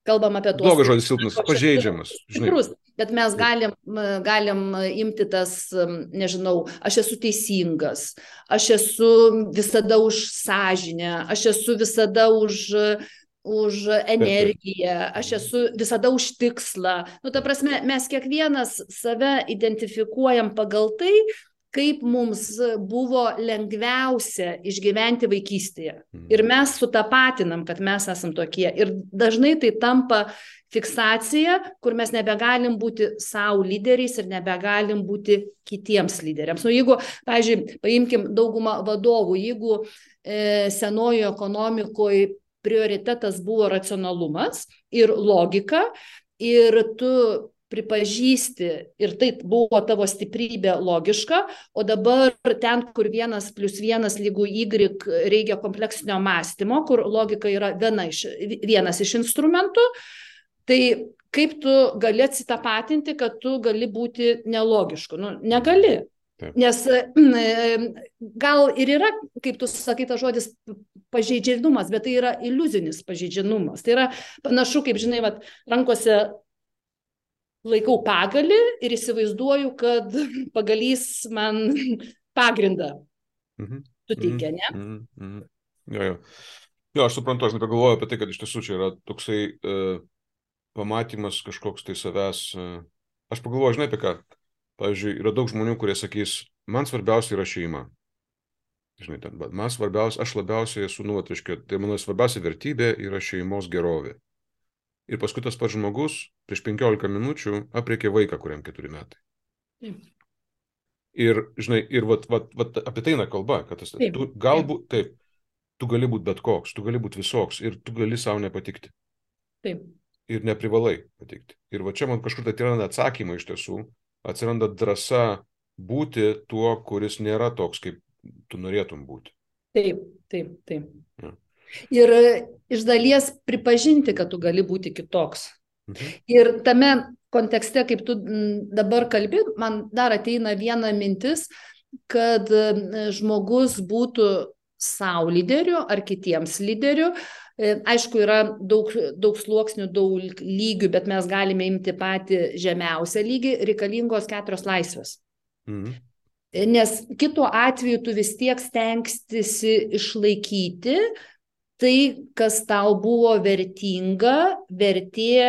kalbam apie tuos... Blogas žodis silpnas, pažeidžiamas. Tikrus. Bet mes galim, galim imti tas, nežinau, aš esu teisingas, aš esu visada už sąžinę, aš esu visada už, už energiją, aš esu visada už tikslą. Nu, ta prasme, mes kiekvienas save identifikuojam pagal tai, kaip mums buvo lengviausia išgyventi vaikystėje. Ir mes sutapatinam, kad mes esam tokie. Ir dažnai tai tampa fiksacija, kur mes nebegalim būti savo lyderiais ir nebegalim būti kitiems lyderiams. Nu, jeigu, pavyzdžiui, paimkim daugumą vadovų, jeigu e, senojo ekonomikoje prioritetas buvo racionalumas ir logika, ir tu pripažįsti, ir tai buvo tavo stiprybė logiška, o dabar ten, kur vienas plus vienas lygų Y reikia kompleksinio mąstymo, kur logika yra viena iš, vienas iš instrumentų, tai kaip tu gali atsitapatinti, kad tu gali būti nelogišku? Nu, negali. Taip. Nes gal ir yra, kaip tu sakai, tas žodis pažeidžiamumas, bet tai yra iliuzinis pažeidžiamumas. Tai yra panašu, kaip žinai, vat, rankose laikau pagalį ir įsivaizduoju, kad pagalys man pagrindą Mhm. suteikia, ne? Mhm. Mhm. Jo, jo. Jo, aš suprantu, aš nepagalvoju apie tai, kad iš tiesų čia yra toksai e, pamatymas kažkoks tai savęs. E, aš pagalvoju, žinai apie ką. Pavyzdžiui, yra daug žmonių, kurie sakys, man svarbiausia yra šeima. Žinai, ten, bet man svarbiausia, aš labiausiai esu, nu, atriškiu, tai mano svarbiausia vertybė yra šeimos gerovė. Ir paskui tas pats žmogus prieš penkiolika minučių apreikė vaiką, kuriam keturi metai. Taip. Ir, žinai, ir vat, vat, vat, apie tai eina kalba, kad tas, Taip. tu galbūt, taip, tu gali būti bet koks, tu gali būti visoks ir tu gali savo nepatikti. Taip. Ir neprivalai patikti. Ir va čia man kažkur tai atsiranda atsakymai iš tiesų, atsiranda drąsa būti tuo, kuris nėra toks, kaip tu norėtum būti. Taip, taip, taip. Ja. Ir iš dalies pripažinti, kad tu gali būti kitoks. Mhm. Ir tame kontekste, kaip tu dabar kalbi, man dar ateina viena mintis, kad žmogus būtų savo lyderiu ar kitiems lyderiu. Aišku, yra daug, daug sluoksnių, daug lygių, bet mes galime imti patį žemiausią lygį, reikalingos keturios laisvės. Mhm. Nes kitu atveju tu vis tiek stengstisi išlaikyti tai, kas tau buvo vertinga, vertė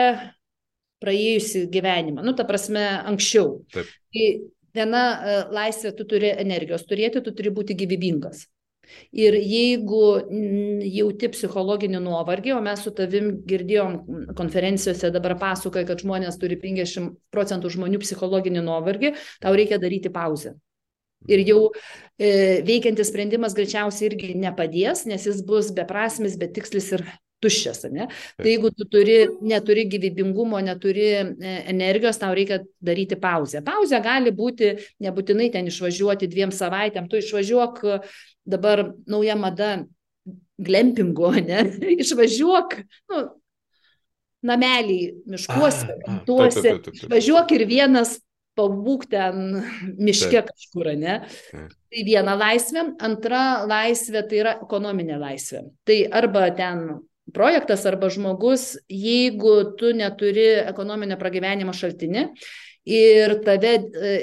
praėjusi gyvenimą. Nu, ta prasme, anksčiau. Taip. Tai viena laisvė, tu turi energijos turėti, tu turi būti gyvybingas. Ir jeigu jauti psichologinį nuovargį, o mes su tavim girdėjom konferencijose, dabar pasakoja, kad žmonės turi penkiasdešimt procentų žmonių psichologinį nuovargį, tau reikia daryti pauzę. Ir jau e, veikiantis sprendimas greičiausiai irgi nepadės, nes jis bus beprasmis, betikslis ir tuščias. Ne? Tai jeigu tu turi, neturi gyvybingumo, neturi e, energijos, tau reikia daryti pauzę. Pauzė gali būti, nebūtinai ten išvažiuoti dviem savaitėm, tu išvažiuok, dabar nauja mada glempingo, ne? Išvažiuok, nu, namelį miškuose, tuose, išvažiuok ir vienas pabūk ten miške kažkur, ne? Tai viena laisvė, antra laisvė tai yra ekonominė laisvė. Tai arba ten projektas, arba žmogus, jeigu tu neturi ekonominio pragyvenimo šaltinį ir, tave,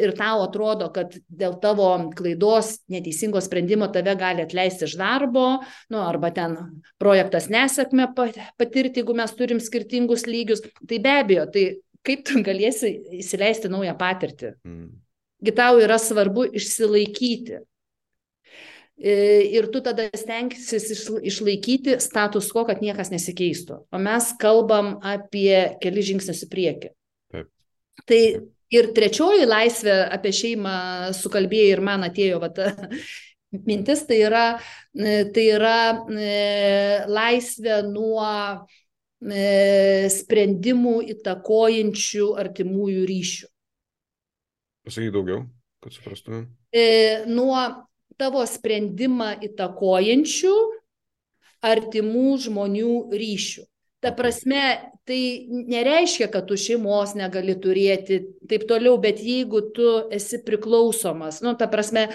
ir tau atrodo, kad dėl tavo klaidos, neteisingo sprendimo tave gali atleisti iš darbo, nu, arba ten projektas nesėkmę patirti, jeigu mes turim skirtingus lygius, tai be abejo, tai kaip tu galėsi įsileisti naują patirtį? Mm. Gi tau yra svarbu išsilaikyti. Ir tu tada stengsis išlaikyti status quo, kad niekas nesikeistų. O mes kalbam apie keli žingsnius į priekį. Taip. Tai ir trečioji laisvė, apie šeimą sukalbėjai ir man atėjo va, ta mintis, tai yra, tai yra laisvė nuo sprendimų įtakojančių artimųjų ryšių. Pasakyk daugiau, kad suprastume. E, nuo tavo sprendimą įtakojančių artimų žmonių ryšių. Ta prasme, tai nereiškia, kad tu šeimos negali turėti, taip toliau, bet jeigu tu esi priklausomas, nu, ta prasme,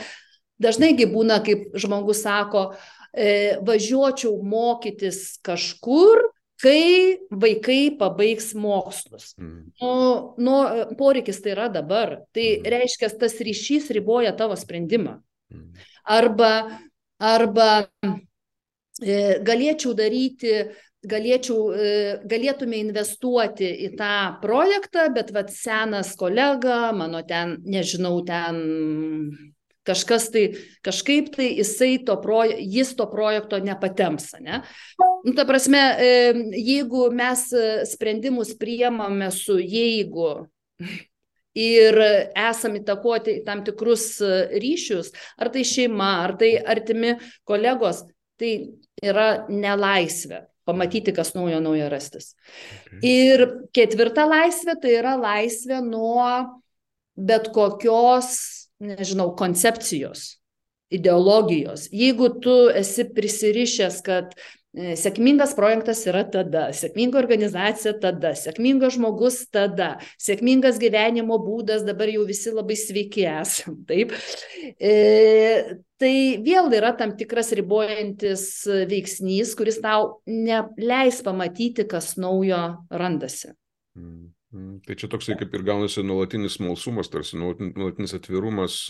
dažnaigi būna, kaip žmogus sako, e, važiuočiau mokytis kažkur, kai vaikai pabaigs mokslus. Mm. Nu, nu, poreikis tai yra dabar. Tai mm. reiškia, tas ryšys riboja tavo sprendimą. Mm. Arba, arba e, galėčiau daryti, galėčiau, e, galėtume investuoti į tą projektą, bet vat senas kolega, mano ten, nežinau, ten Kažkas tai, kažkaip tai jisai to proje, jis to projekto nepatems, ne? Nu, ta prasme, jeigu mes sprendimus priemame su jeigu ir esam įtakoti tam tikrus ryšius, ar tai šeima, ar tai artimi kolegos, tai yra nelaisvė pamatyti, kas naujo naujo rastis. Okay. Ir ketvirta laisvė, tai yra laisvė nuo bet kokios, nežinau, koncepcijos, ideologijos. Jeigu tu esi prisirišęs, kad sėkmingas projektas yra tada, sėkminga organizacija tada, sėkmingas žmogus tada, sėkmingas gyvenimo būdas, dabar jau visi labai sveiki esam, taip. E, tai vėl yra tam tikras ribojantis veiksnys, kuris tau neleis pamatyti, kas naujo randasi. Mm. Tai čia toksai kaip ir gaunasi nuolatinis smalsumas, tarsi nuolatinis atvirumas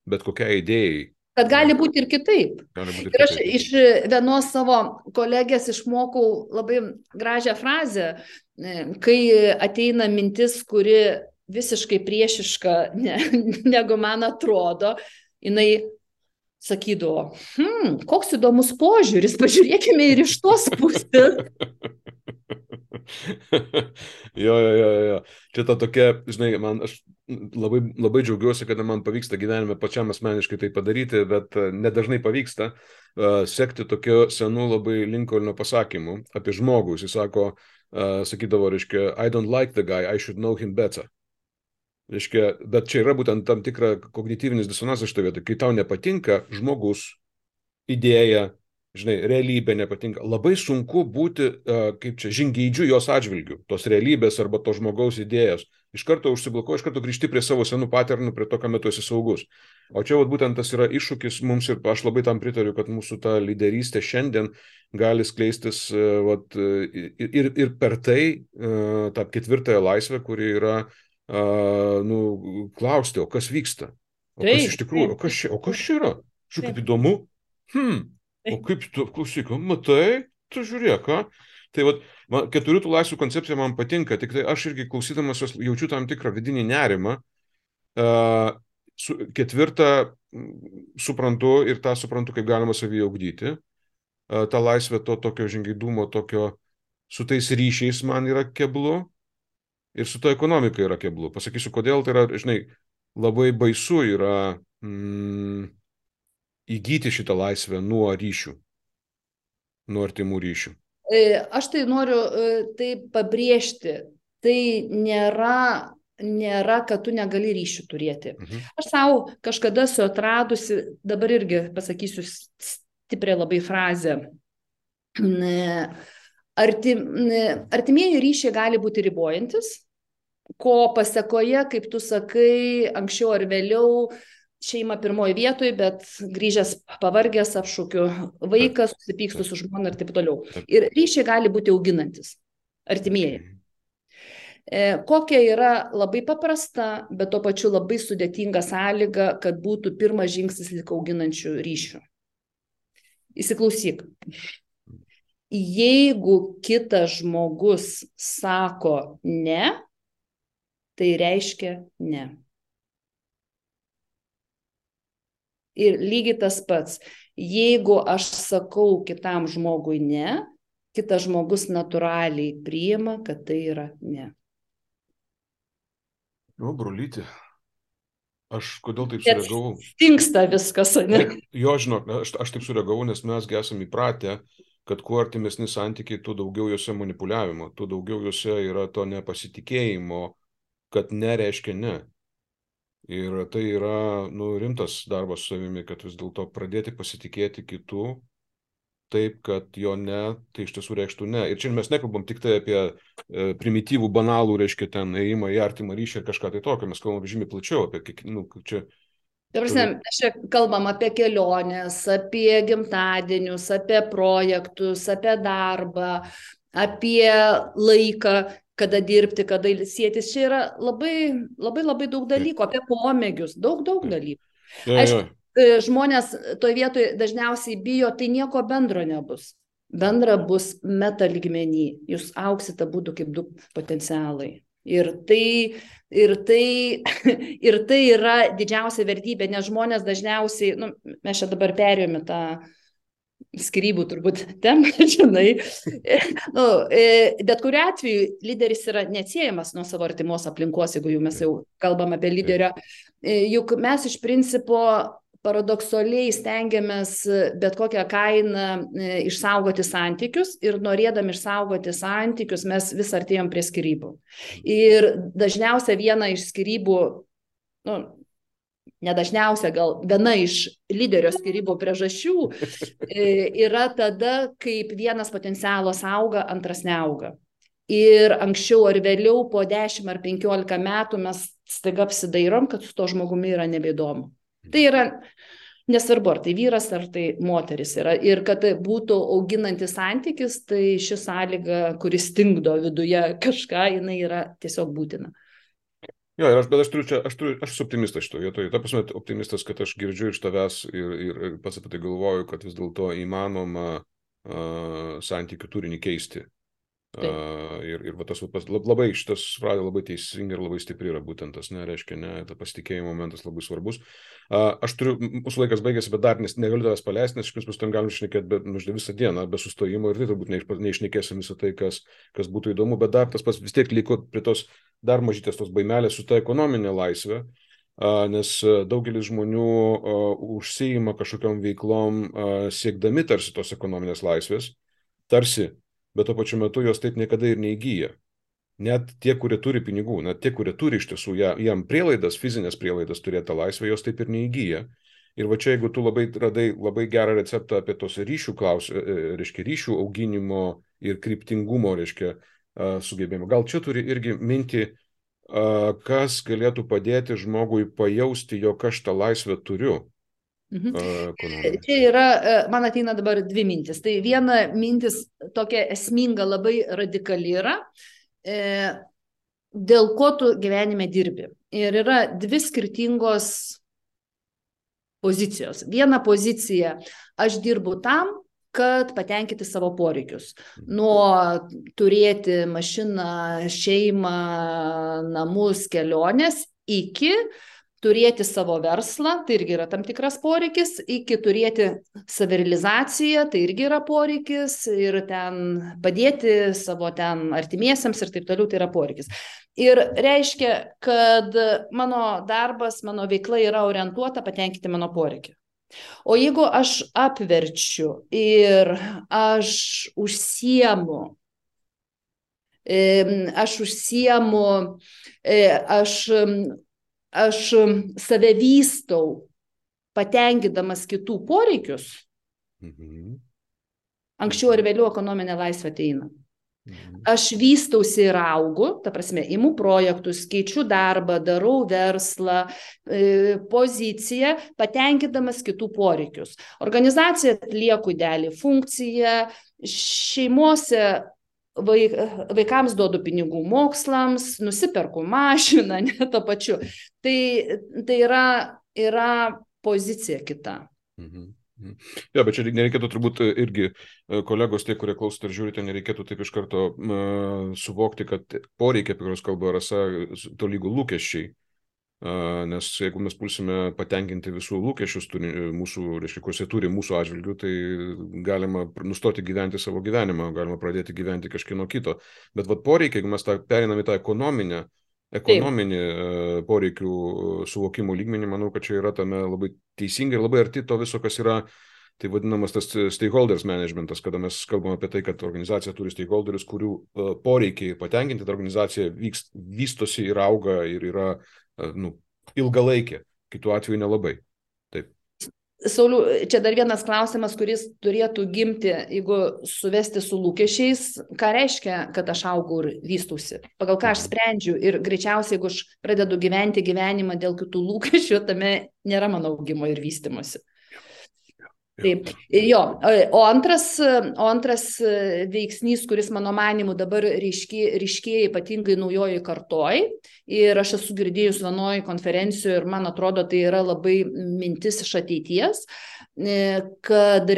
bet kokiai idėjai. Kad gali būti ir kitaip. Būti ir, ir aš kitaip. Iš vienos savo kolegės išmokau labai gražią frazę, kai ateina mintis, kuri visiškai priešiška, ne, negu man atrodo, jinai sakydavo, hm, koks įdomus požiūris, pažiūrėkime ir iš tos pusės. jo, jo, jo, jo. Čia ta tokia, žinai, man aš labai, labai džiaugiuosi, kad man pavyksta gyvenime pačiam asmeniškai tai padaryti, bet nedažnai pavyksta uh, sekti tokiu senu labai Lincolno pasakymu apie žmogų. Jis sako, uh, sakydavo, reiškia, I don't like the guy, I should know him better. Reiškia, bet čia yra būtent tam tikra kognityvinis disonansas šitoje vietoje. Kai tau nepatinka žmogus, idėja, žinai, realybė nepatinka, labai sunku būti, uh, kaip čia, žingeidžiu jos atžvilgių, tos realybės arba to žmogaus idėjos. Iš karto užsiblokuoji, iš karto grįžti prie savo senų paternų, prie to, ką metu esi saugus. O čia vat, būtent tas yra iššūkis mums ir aš labai tam pritariu, kad mūsų ta lyderystė šiandien gali skleistis uh, vat, ir, ir, ir per tai uh, tą ketvirtąją laisvę, kuri yra, uh, nu, klausti, o kas vyksta? O kas iš tikrųjų? O kas čia, o kas čia yra? Žiūrėk, kaip įdomu. Hmm. O kaip tu, klausyk, matai, tu žiūrėk, ką? Tai vat, man, keturių tų laisvių koncepcija man patinka, tik tai aš irgi klausydamas jos jaučiu tam tikrą vidinį nerimą. Uh, su, ketvirtą suprantu ir tą suprantu, kaip galima savyje ugdyti. Uh, tą laisvę to tokio žingeidumo, tokio su tais ryšiais man yra keblu ir su to ekonomika yra keblu. Pasakysiu, kodėl tai yra, žinai, labai baisu yra... Mm, įgyti šitą laisvę nuo ryšių, nuo artimų ryšių. Aš tai noriu tai pabrėžti. Tai nėra, nėra, kad tu negali ryšių turėti. Mhm. Aš savo kažkada esu atradusi, dabar irgi pasakysiu stipriai labai frazę. Artim, artimieji ryšiai gali būti ribojantis, ko pasekoje, kaip tu sakai, anksčiau ar vėliau, šeima pirmoji vietoj, bet grįžęs pavargęs apšūkiu vaikas, susipykstu su žmona ir taip toliau. Ir ryšiai gali būti auginantis, artimieji. E, kokia yra labai paprasta, bet tuo pačiu labai sudėtinga sąlyga, kad būtų pirmas žingsnis link auginančių ryšių. Įsiklausyk. Jeigu kitas žmogus sako ne, tai reiškia ne. Ir lygiai tas pats, jeigu aš sakau kitam žmogui ne, kitas žmogus natūraliai priima, kad tai yra ne. O, brolyti, aš kodėl taip sureagavau? Stingsta viskas, ne? Jo, žinok, aš, aš taip sureagavau, nes mes esame įpratę, kad kuo artimesni santykiai, tuo daugiau juose manipuliavimo, tuo daugiau juose yra to nepasitikėjimo, kad nereiškia ne. Ir tai yra, nu, rimtas darbas su savimi, kad vis dėlto pradėti pasitikėti kitų taip, kad jo ne, tai iš tiesų reikštų ne. Ir čia mes nekalbam tik tai apie e, primityvų, banalų, reiškia, ten ėjimą į artimą ryšį ir kažką tai tokio, mes kalbam žymiai plačiau apie, nu, čia... Prasme, čia kalbam apie keliones, apie gimtadienius, apie projektus, apie darbą, apie laiką, kada dirbti, kada ilsėtis. Čia yra labai, labai, labai daug dalykų, apie pomėgius, daug, daug dalykų. Ja, Aišku, ja. žmonės toje vietoje dažniausiai bijo, tai nieko bendro nebus. Bendra bus meta lygmenį. Jūs auksite būdų kaip du potencialai. Ir tai, ir tai, ir tai yra didžiausia vertybė, nes žmonės dažniausiai, nu, mes čia dabar perėjome tą skyrybų turbūt temą, žinai. Nu, bet kuriuo atveju lyderis yra neatsiejamas nuo savo artimos aplinkos, jeigu jau mes jau kalbam apie lyderio. Juk mes iš principo paradoksaliai stengiamės bet kokią kainą išsaugoti santykius ir norėdami išsaugoti santykius mes vis artėjom prie skyrybų. Ir dažniausia viena iš skyrybų, nu, nedažniausia, gal viena iš lyderio skyrybų priežasčių yra tada, kaip vienas potencialas auga, antras neauga. Ir anksčiau ar vėliau po dešimt ar penkiolika metų mes staiga apsidairom, kad su to žmogumi yra nebeįdomu. Tai yra nesvarbu, ar tai vyras, ar tai moteris yra. Ir kad būtų auginantis santykis, tai ši sąlyga, kuris stingdo viduje kažką, jinai yra tiesiog būtina. Jo, ir aš, bet aš turiu čia, aš, turiu, aš esu optimistas šitoje vietoje. Ta prasme, optimistas, kad aš girdžiu iš tavęs ir, ir, ir pats apie tai galvoju, kad vis dėlto įmanoma uh, santykių turinį keisti. Uh, ir ir va, tas labai šitas frazė labai teisinga ir labai stipri yra būtent tas, ne, reiškia, ne, ta pasitikėjimo momentas labai svarbus. Uh, aš turiu, mūsų laikas baigėsi, bet dar nes, negaliu tavęs paleisti, nes iš principo tam galim šnekėti be, nu, visą dieną, be sustojimo ir tai turbūt neišnekėsim visą tai, kas, kas būtų įdomu, bet dar tas pats vis tiek liko prie tos dar mažytės tos baimelės su ta ekonominė laisvė, uh, nes daugelis žmonių uh, užsiima kažkokiom veiklom uh, siekdami tarsi tos ekonominės laisvės, tarsi, bet tuo pačiu metu jos taip niekada ir neįgyja. Net tie, kurie turi pinigų, net tie, kurie turi iš tiesų jam prielaidas, fizinės prielaidas turėti tą laisvę, jos taip ir neįgyja. Ir va čia, jeigu tu labai radai labai gerą receptą apie tos ryšių klaus, reiškia, ryšių auginimo ir kryptingumo, reiškia, sugebėjimo. Gal čia turi irgi minti, kas galėtų padėti žmogui pajausti, jog aš tą laisvę turiu. Mhm. Čia yra, man ateina dabar dvi mintis. Tai viena mintis tokia esminga, labai radikali yra, e, dėl ko tu gyvenime dirbi. Ir yra dvi skirtingos pozicijos. Viena pozicija, aš dirbu tam, kad patenkinti savo poreikius. Nuo turėti mašiną, šeimą, namus, keliones, iki turėti savo verslą, tai irgi yra tam tikras poreikis, iki turėti savirealizaciją, tai irgi yra poreikis, ir ten padėti savo ten artimiesiems ir taip toliau, tai yra poreikis. Ir reiškia, kad mano darbas, mano veikla yra orientuota patenkinti mano poreikį. O jeigu aš apverčiu ir aš užsiemu, aš užsiemu, aš aš save vystau, patenkindamas kitų poreikius, mhm. Anksčiau ar vėliau ekonominė laisvė ateina. Mhm. Aš vystausi ir augu, ta prasme, imu projektus, keičiu darbą, darau verslą, e, poziciją, patenkindamas kitų poreikius. Organizacija atlieku idealią funkciją, šeimose Vaik, vaikams duodu pinigų mokslams, nusiperku mašiną, ne to pačiu. Tai, tai yra, yra pozicija kita. Mhm. Mhm. Ja, bet čia nereikėtų turbūt irgi kolegos, tie, kurie klausot ir žiūrite, nereikėtų taip iš karto uh, suvokti, kad poreikiai, apie kuriuos kalba Rasa, tolygų lūkesčiai. Uh, nes jeigu mes pulsime patenkinti visų lūkesčius turi, mūsų, reiškia, kuriuos jie turi mūsų atžvilgių, tai galima nustoti gyventi savo gyvenimą, galima pradėti gyventi kažkieno kito. Bet vat poreikiai, jeigu mes tą perinam į tą ekonominę, ekonominį uh, poreikių suvokimo lygmenį, manau, kad čia yra tame labai teisingai ir labai arti to viso, kas yra tai vadinamas tas stakeholders managementas, kada mes kalbame apie tai, kad organizacija turi stakeholderius, kurių uh, poreikiai patenkinti, ta organizacija vyks, vystosi ir auga ir yra nu, ilgalaikė, kitų atveju nelabai. Taip. Sauliau, čia dar vienas klausimas, kuris turėtų gimti, jeigu suvesti su lūkesčiais, ką reiškia, kad aš augau ir vystausi, pagal ką aš sprendžiu ir greičiausiai, jeigu aš pradedu gyventi gyvenimą dėl kitų lūkesčių, tame nėra mano augimo ir vystymosi. Taip, jo, o antras, o antras veiksnys, kuris mano manimu dabar ryškėja, ryškėja ypatingai naujojoj kartoj, ir aš esu girdėjus vienoj konferencijoje ir man atrodo tai yra labai mintis iš ateities, kad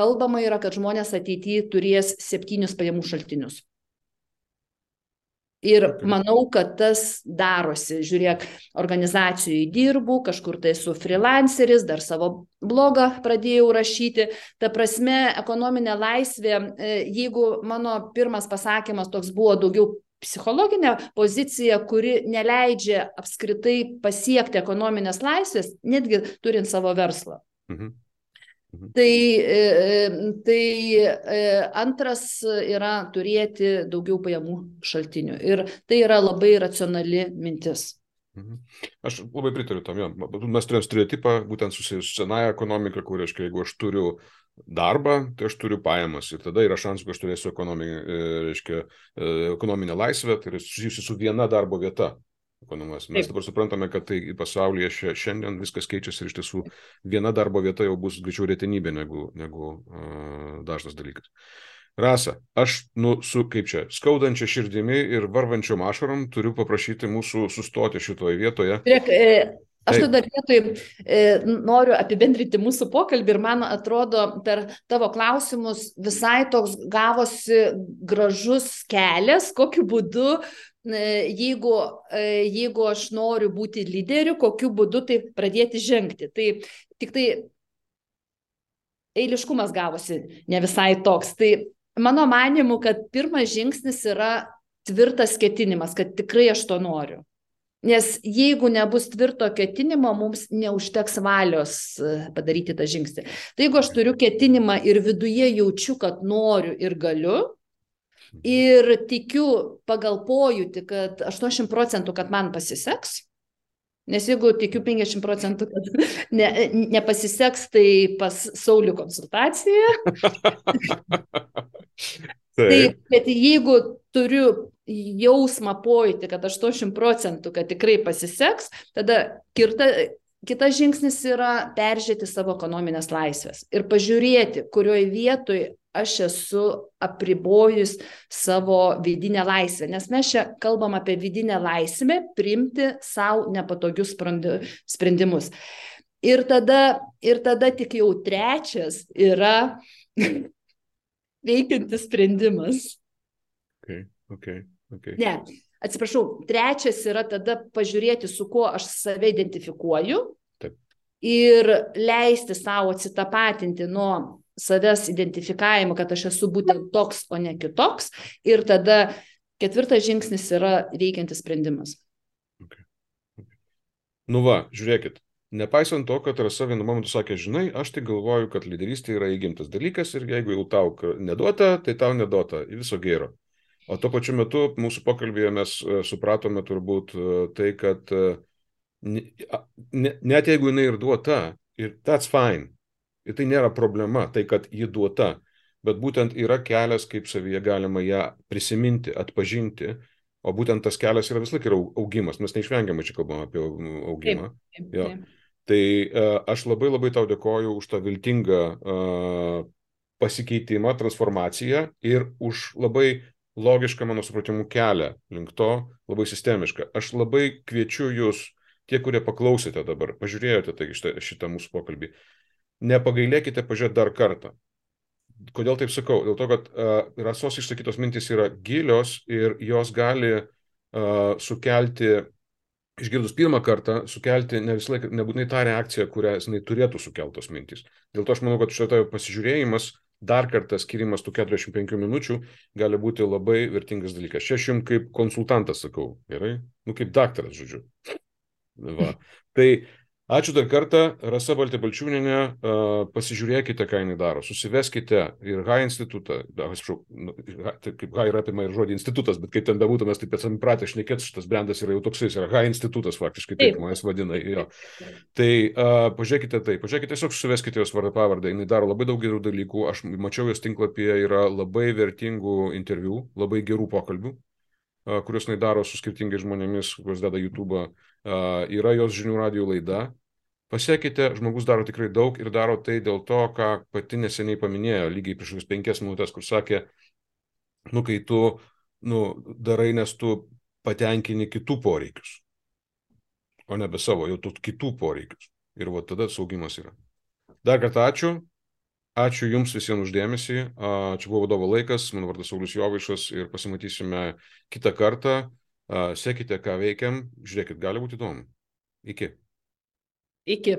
kalbama yra, kad žmonės ateityje turės septynius pajamų šaltinius. Ir Okay. manau, kad tas darosi. Žiūrėk, organizacijai dirbu, kažkur tai su freelanceris, dar savo blogą pradėjau rašyti. Ta prasme, ekonominė laisvė, jeigu mano pirmas pasakymas toks buvo daugiau psichologinė pozicija, kuri neleidžia apskritai pasiekti ekonominės laisvės, netgi turint savo verslą. Mhm. Mhm. Tai, tai antras yra turėti daugiau pajamų šaltinių. Ir tai yra labai racionali mintis. Mhm. Aš labai pritariu tam. Jo. Mes turėjom stereotipą, būtent susijęs su senąja ekonomika, kur, reiškia, jeigu aš turiu darbą, tai aš turiu pajamas. Ir tada yra šansų, kad aš turėsiu ekonominę, reiškia, ekonominę laisvę, tai yra susijusi su viena darbo vieta. Mes Taip. dabar suprantame, kad tai pasaulyje šiandien viskas keičiasi ir iš tiesų viena darbo vieta jau bus greičiau retenybė negu, negu uh, dažnas dalykas. Rasa, aš nu, su, kaip čia, skaudančia širdimi ir varvančiom ašarom turiu paprašyti mūsų sustoti šitoje vietoje. Žiūrėk, e, aš tada vietoj e, noriu apibendrinti mūsų pokalbį ir man atrodo per tavo klausimus visai toks gavosi gražus kelias, kokiu būdu Jeigu, jeigu aš noriu būti lyderiu, kokiu būdu tai pradėti žengti. Tai tik tai eiliškumas gavosi ne visai toks. Tai mano manimu, kad pirmas žingsnis yra tvirtas ketinimas, kad tikrai aš to noriu. Nes jeigu nebus tvirto ketinimo, mums neužteks valios padaryti tą žingsnį. Tai jeigu aš turiu ketinimą ir viduje jaučiu, kad noriu ir galiu, ir tikiu pagal pojūtį, kad aštuoniasdešimt procentų, kad man pasiseks, nes jeigu tikiu penkiasdešimt procentų, kad ne, nepasiseks, tai pas Saulių konsultaciją. Tai, bet jeigu turiu jausmą pojūtį, kad aštuoniasdešimt procentų, kad tikrai pasiseks, tada kirta, kitas žingsnis yra peržiūrėti savo ekonominės laisvės ir pažiūrėti, kurioje vietoje aš esu apribojus savo vidinę laisvę, nes mes čia kalbam apie vidinę laisvę priimti savo nepatogius sprendimus. Ir tada, ir tada tik jau trečias yra veikiantis sprendimas. Okay, okay, okay. Ne, atsiprašau, trečias yra tada pažiūrėti, su kuo aš save identifikuoju. Taip. Ir leisti savo atsitapatinti nuo savęs identifikavimo, kad aš esu būtent toks, o ne kitoks. Ir tada ketvirtas žingsnis yra veikiantis sprendimas. Okay. Okay. Nu va, žiūrėkit, nepaisant to, kad Rasa vienu momentu sakė, žinai, aš tai galvoju, kad lyderystė yra įgimtas dalykas ir jeigu jau tau neduota, tai tau neduota, viso gėro. O tuo pačiu metu mūsų pokalbėje mes supratome turbūt tai, kad net jeigu jinai ir duota, ir that's fine, ir tai nėra problema, tai kad ji duota, bet būtent yra kelias, kaip savyje galima ją prisiminti, atpažinti, o būtent tas kelias yra vis laik yra augimas, mes neišvengiamai čia kalbam apie augimą. Taip, taip, taip. Tai uh, aš labai labai tau dėkoju už tą viltingą uh, pasikeitimą, transformaciją ir už labai logišką, mano supratimu, kelią link to, labai sistemišką. Aš labai kviečiu jūs, tie, kurie paklausėte dabar, pažiūrėjote tai, šitą, šitą mūsų pokalbį, nepagailėkite pažiūrėti dar kartą. Kodėl taip sakau? Dėl to, kad uh, Rasos išsakytos mintys yra gilios ir jos gali uh, sukelti, išgirdus pirmą kartą, sukelti ne visą laiką, nebūtinai tą reakciją, kurią jinai turėtų sukeltos mintys. Dėl to aš manau, kad šitą pasižiūrėjimas, dar kartą skirimas tų keturiasdešimt penkių minučių gali būti labai vertingas dalykas. Čia aš jums kaip konsultantas sakau, gerai? Nu, kaip daktaras, žodžiu. Va. Tai ačiū dar kartą, Rasa Baltė-Balčiūnienė, uh, pasižiūrėkite, ką jinai daro, susiveskite ir H institutą, da, atsiprašau, taip kaip H yra apima ir žodį institutas, bet kaip ten bebūtų, mes taip esame pratę šnekėti, šitas brendas yra jau toksai, yra H institutas faktiškai, taip manęs vadina. Jo. Tai uh, pažiūrėkite tai, pažiūrėkite, tiesiog susiveskite jos vardą pavardę, jinai daro labai daug gerų dalykų, aš mačiau jos tinklapyje, yra labai vertingų interviu, labai gerų pokalbių, uh, kuriuos jinai daro su skirtingais žmonėmis, kuriuos deda YouTube. Uh, yra jos žinių radijo laida. Pasiekite, žmogus daro tikrai daug ir daro tai dėl to, ką pati neseniai paminėjo, lygiai prieš penkias minutės, kur sakė, nu, kai tu nu, darai, nes tu patenkini kitų poreikius, o nebe savo, jau tu kitų poreikius. Ir va tada saugimas yra. Dar kartą ačiū. Ačiū Jums visiems uždėmesį. Čia buvo Vadovo laikas, mano vardas Saulius Jovaišas ir pasimatysime kitą kartą. Sekite, ką veikiam, žiūrėkit, gali būti įdomu. Iki. Iki.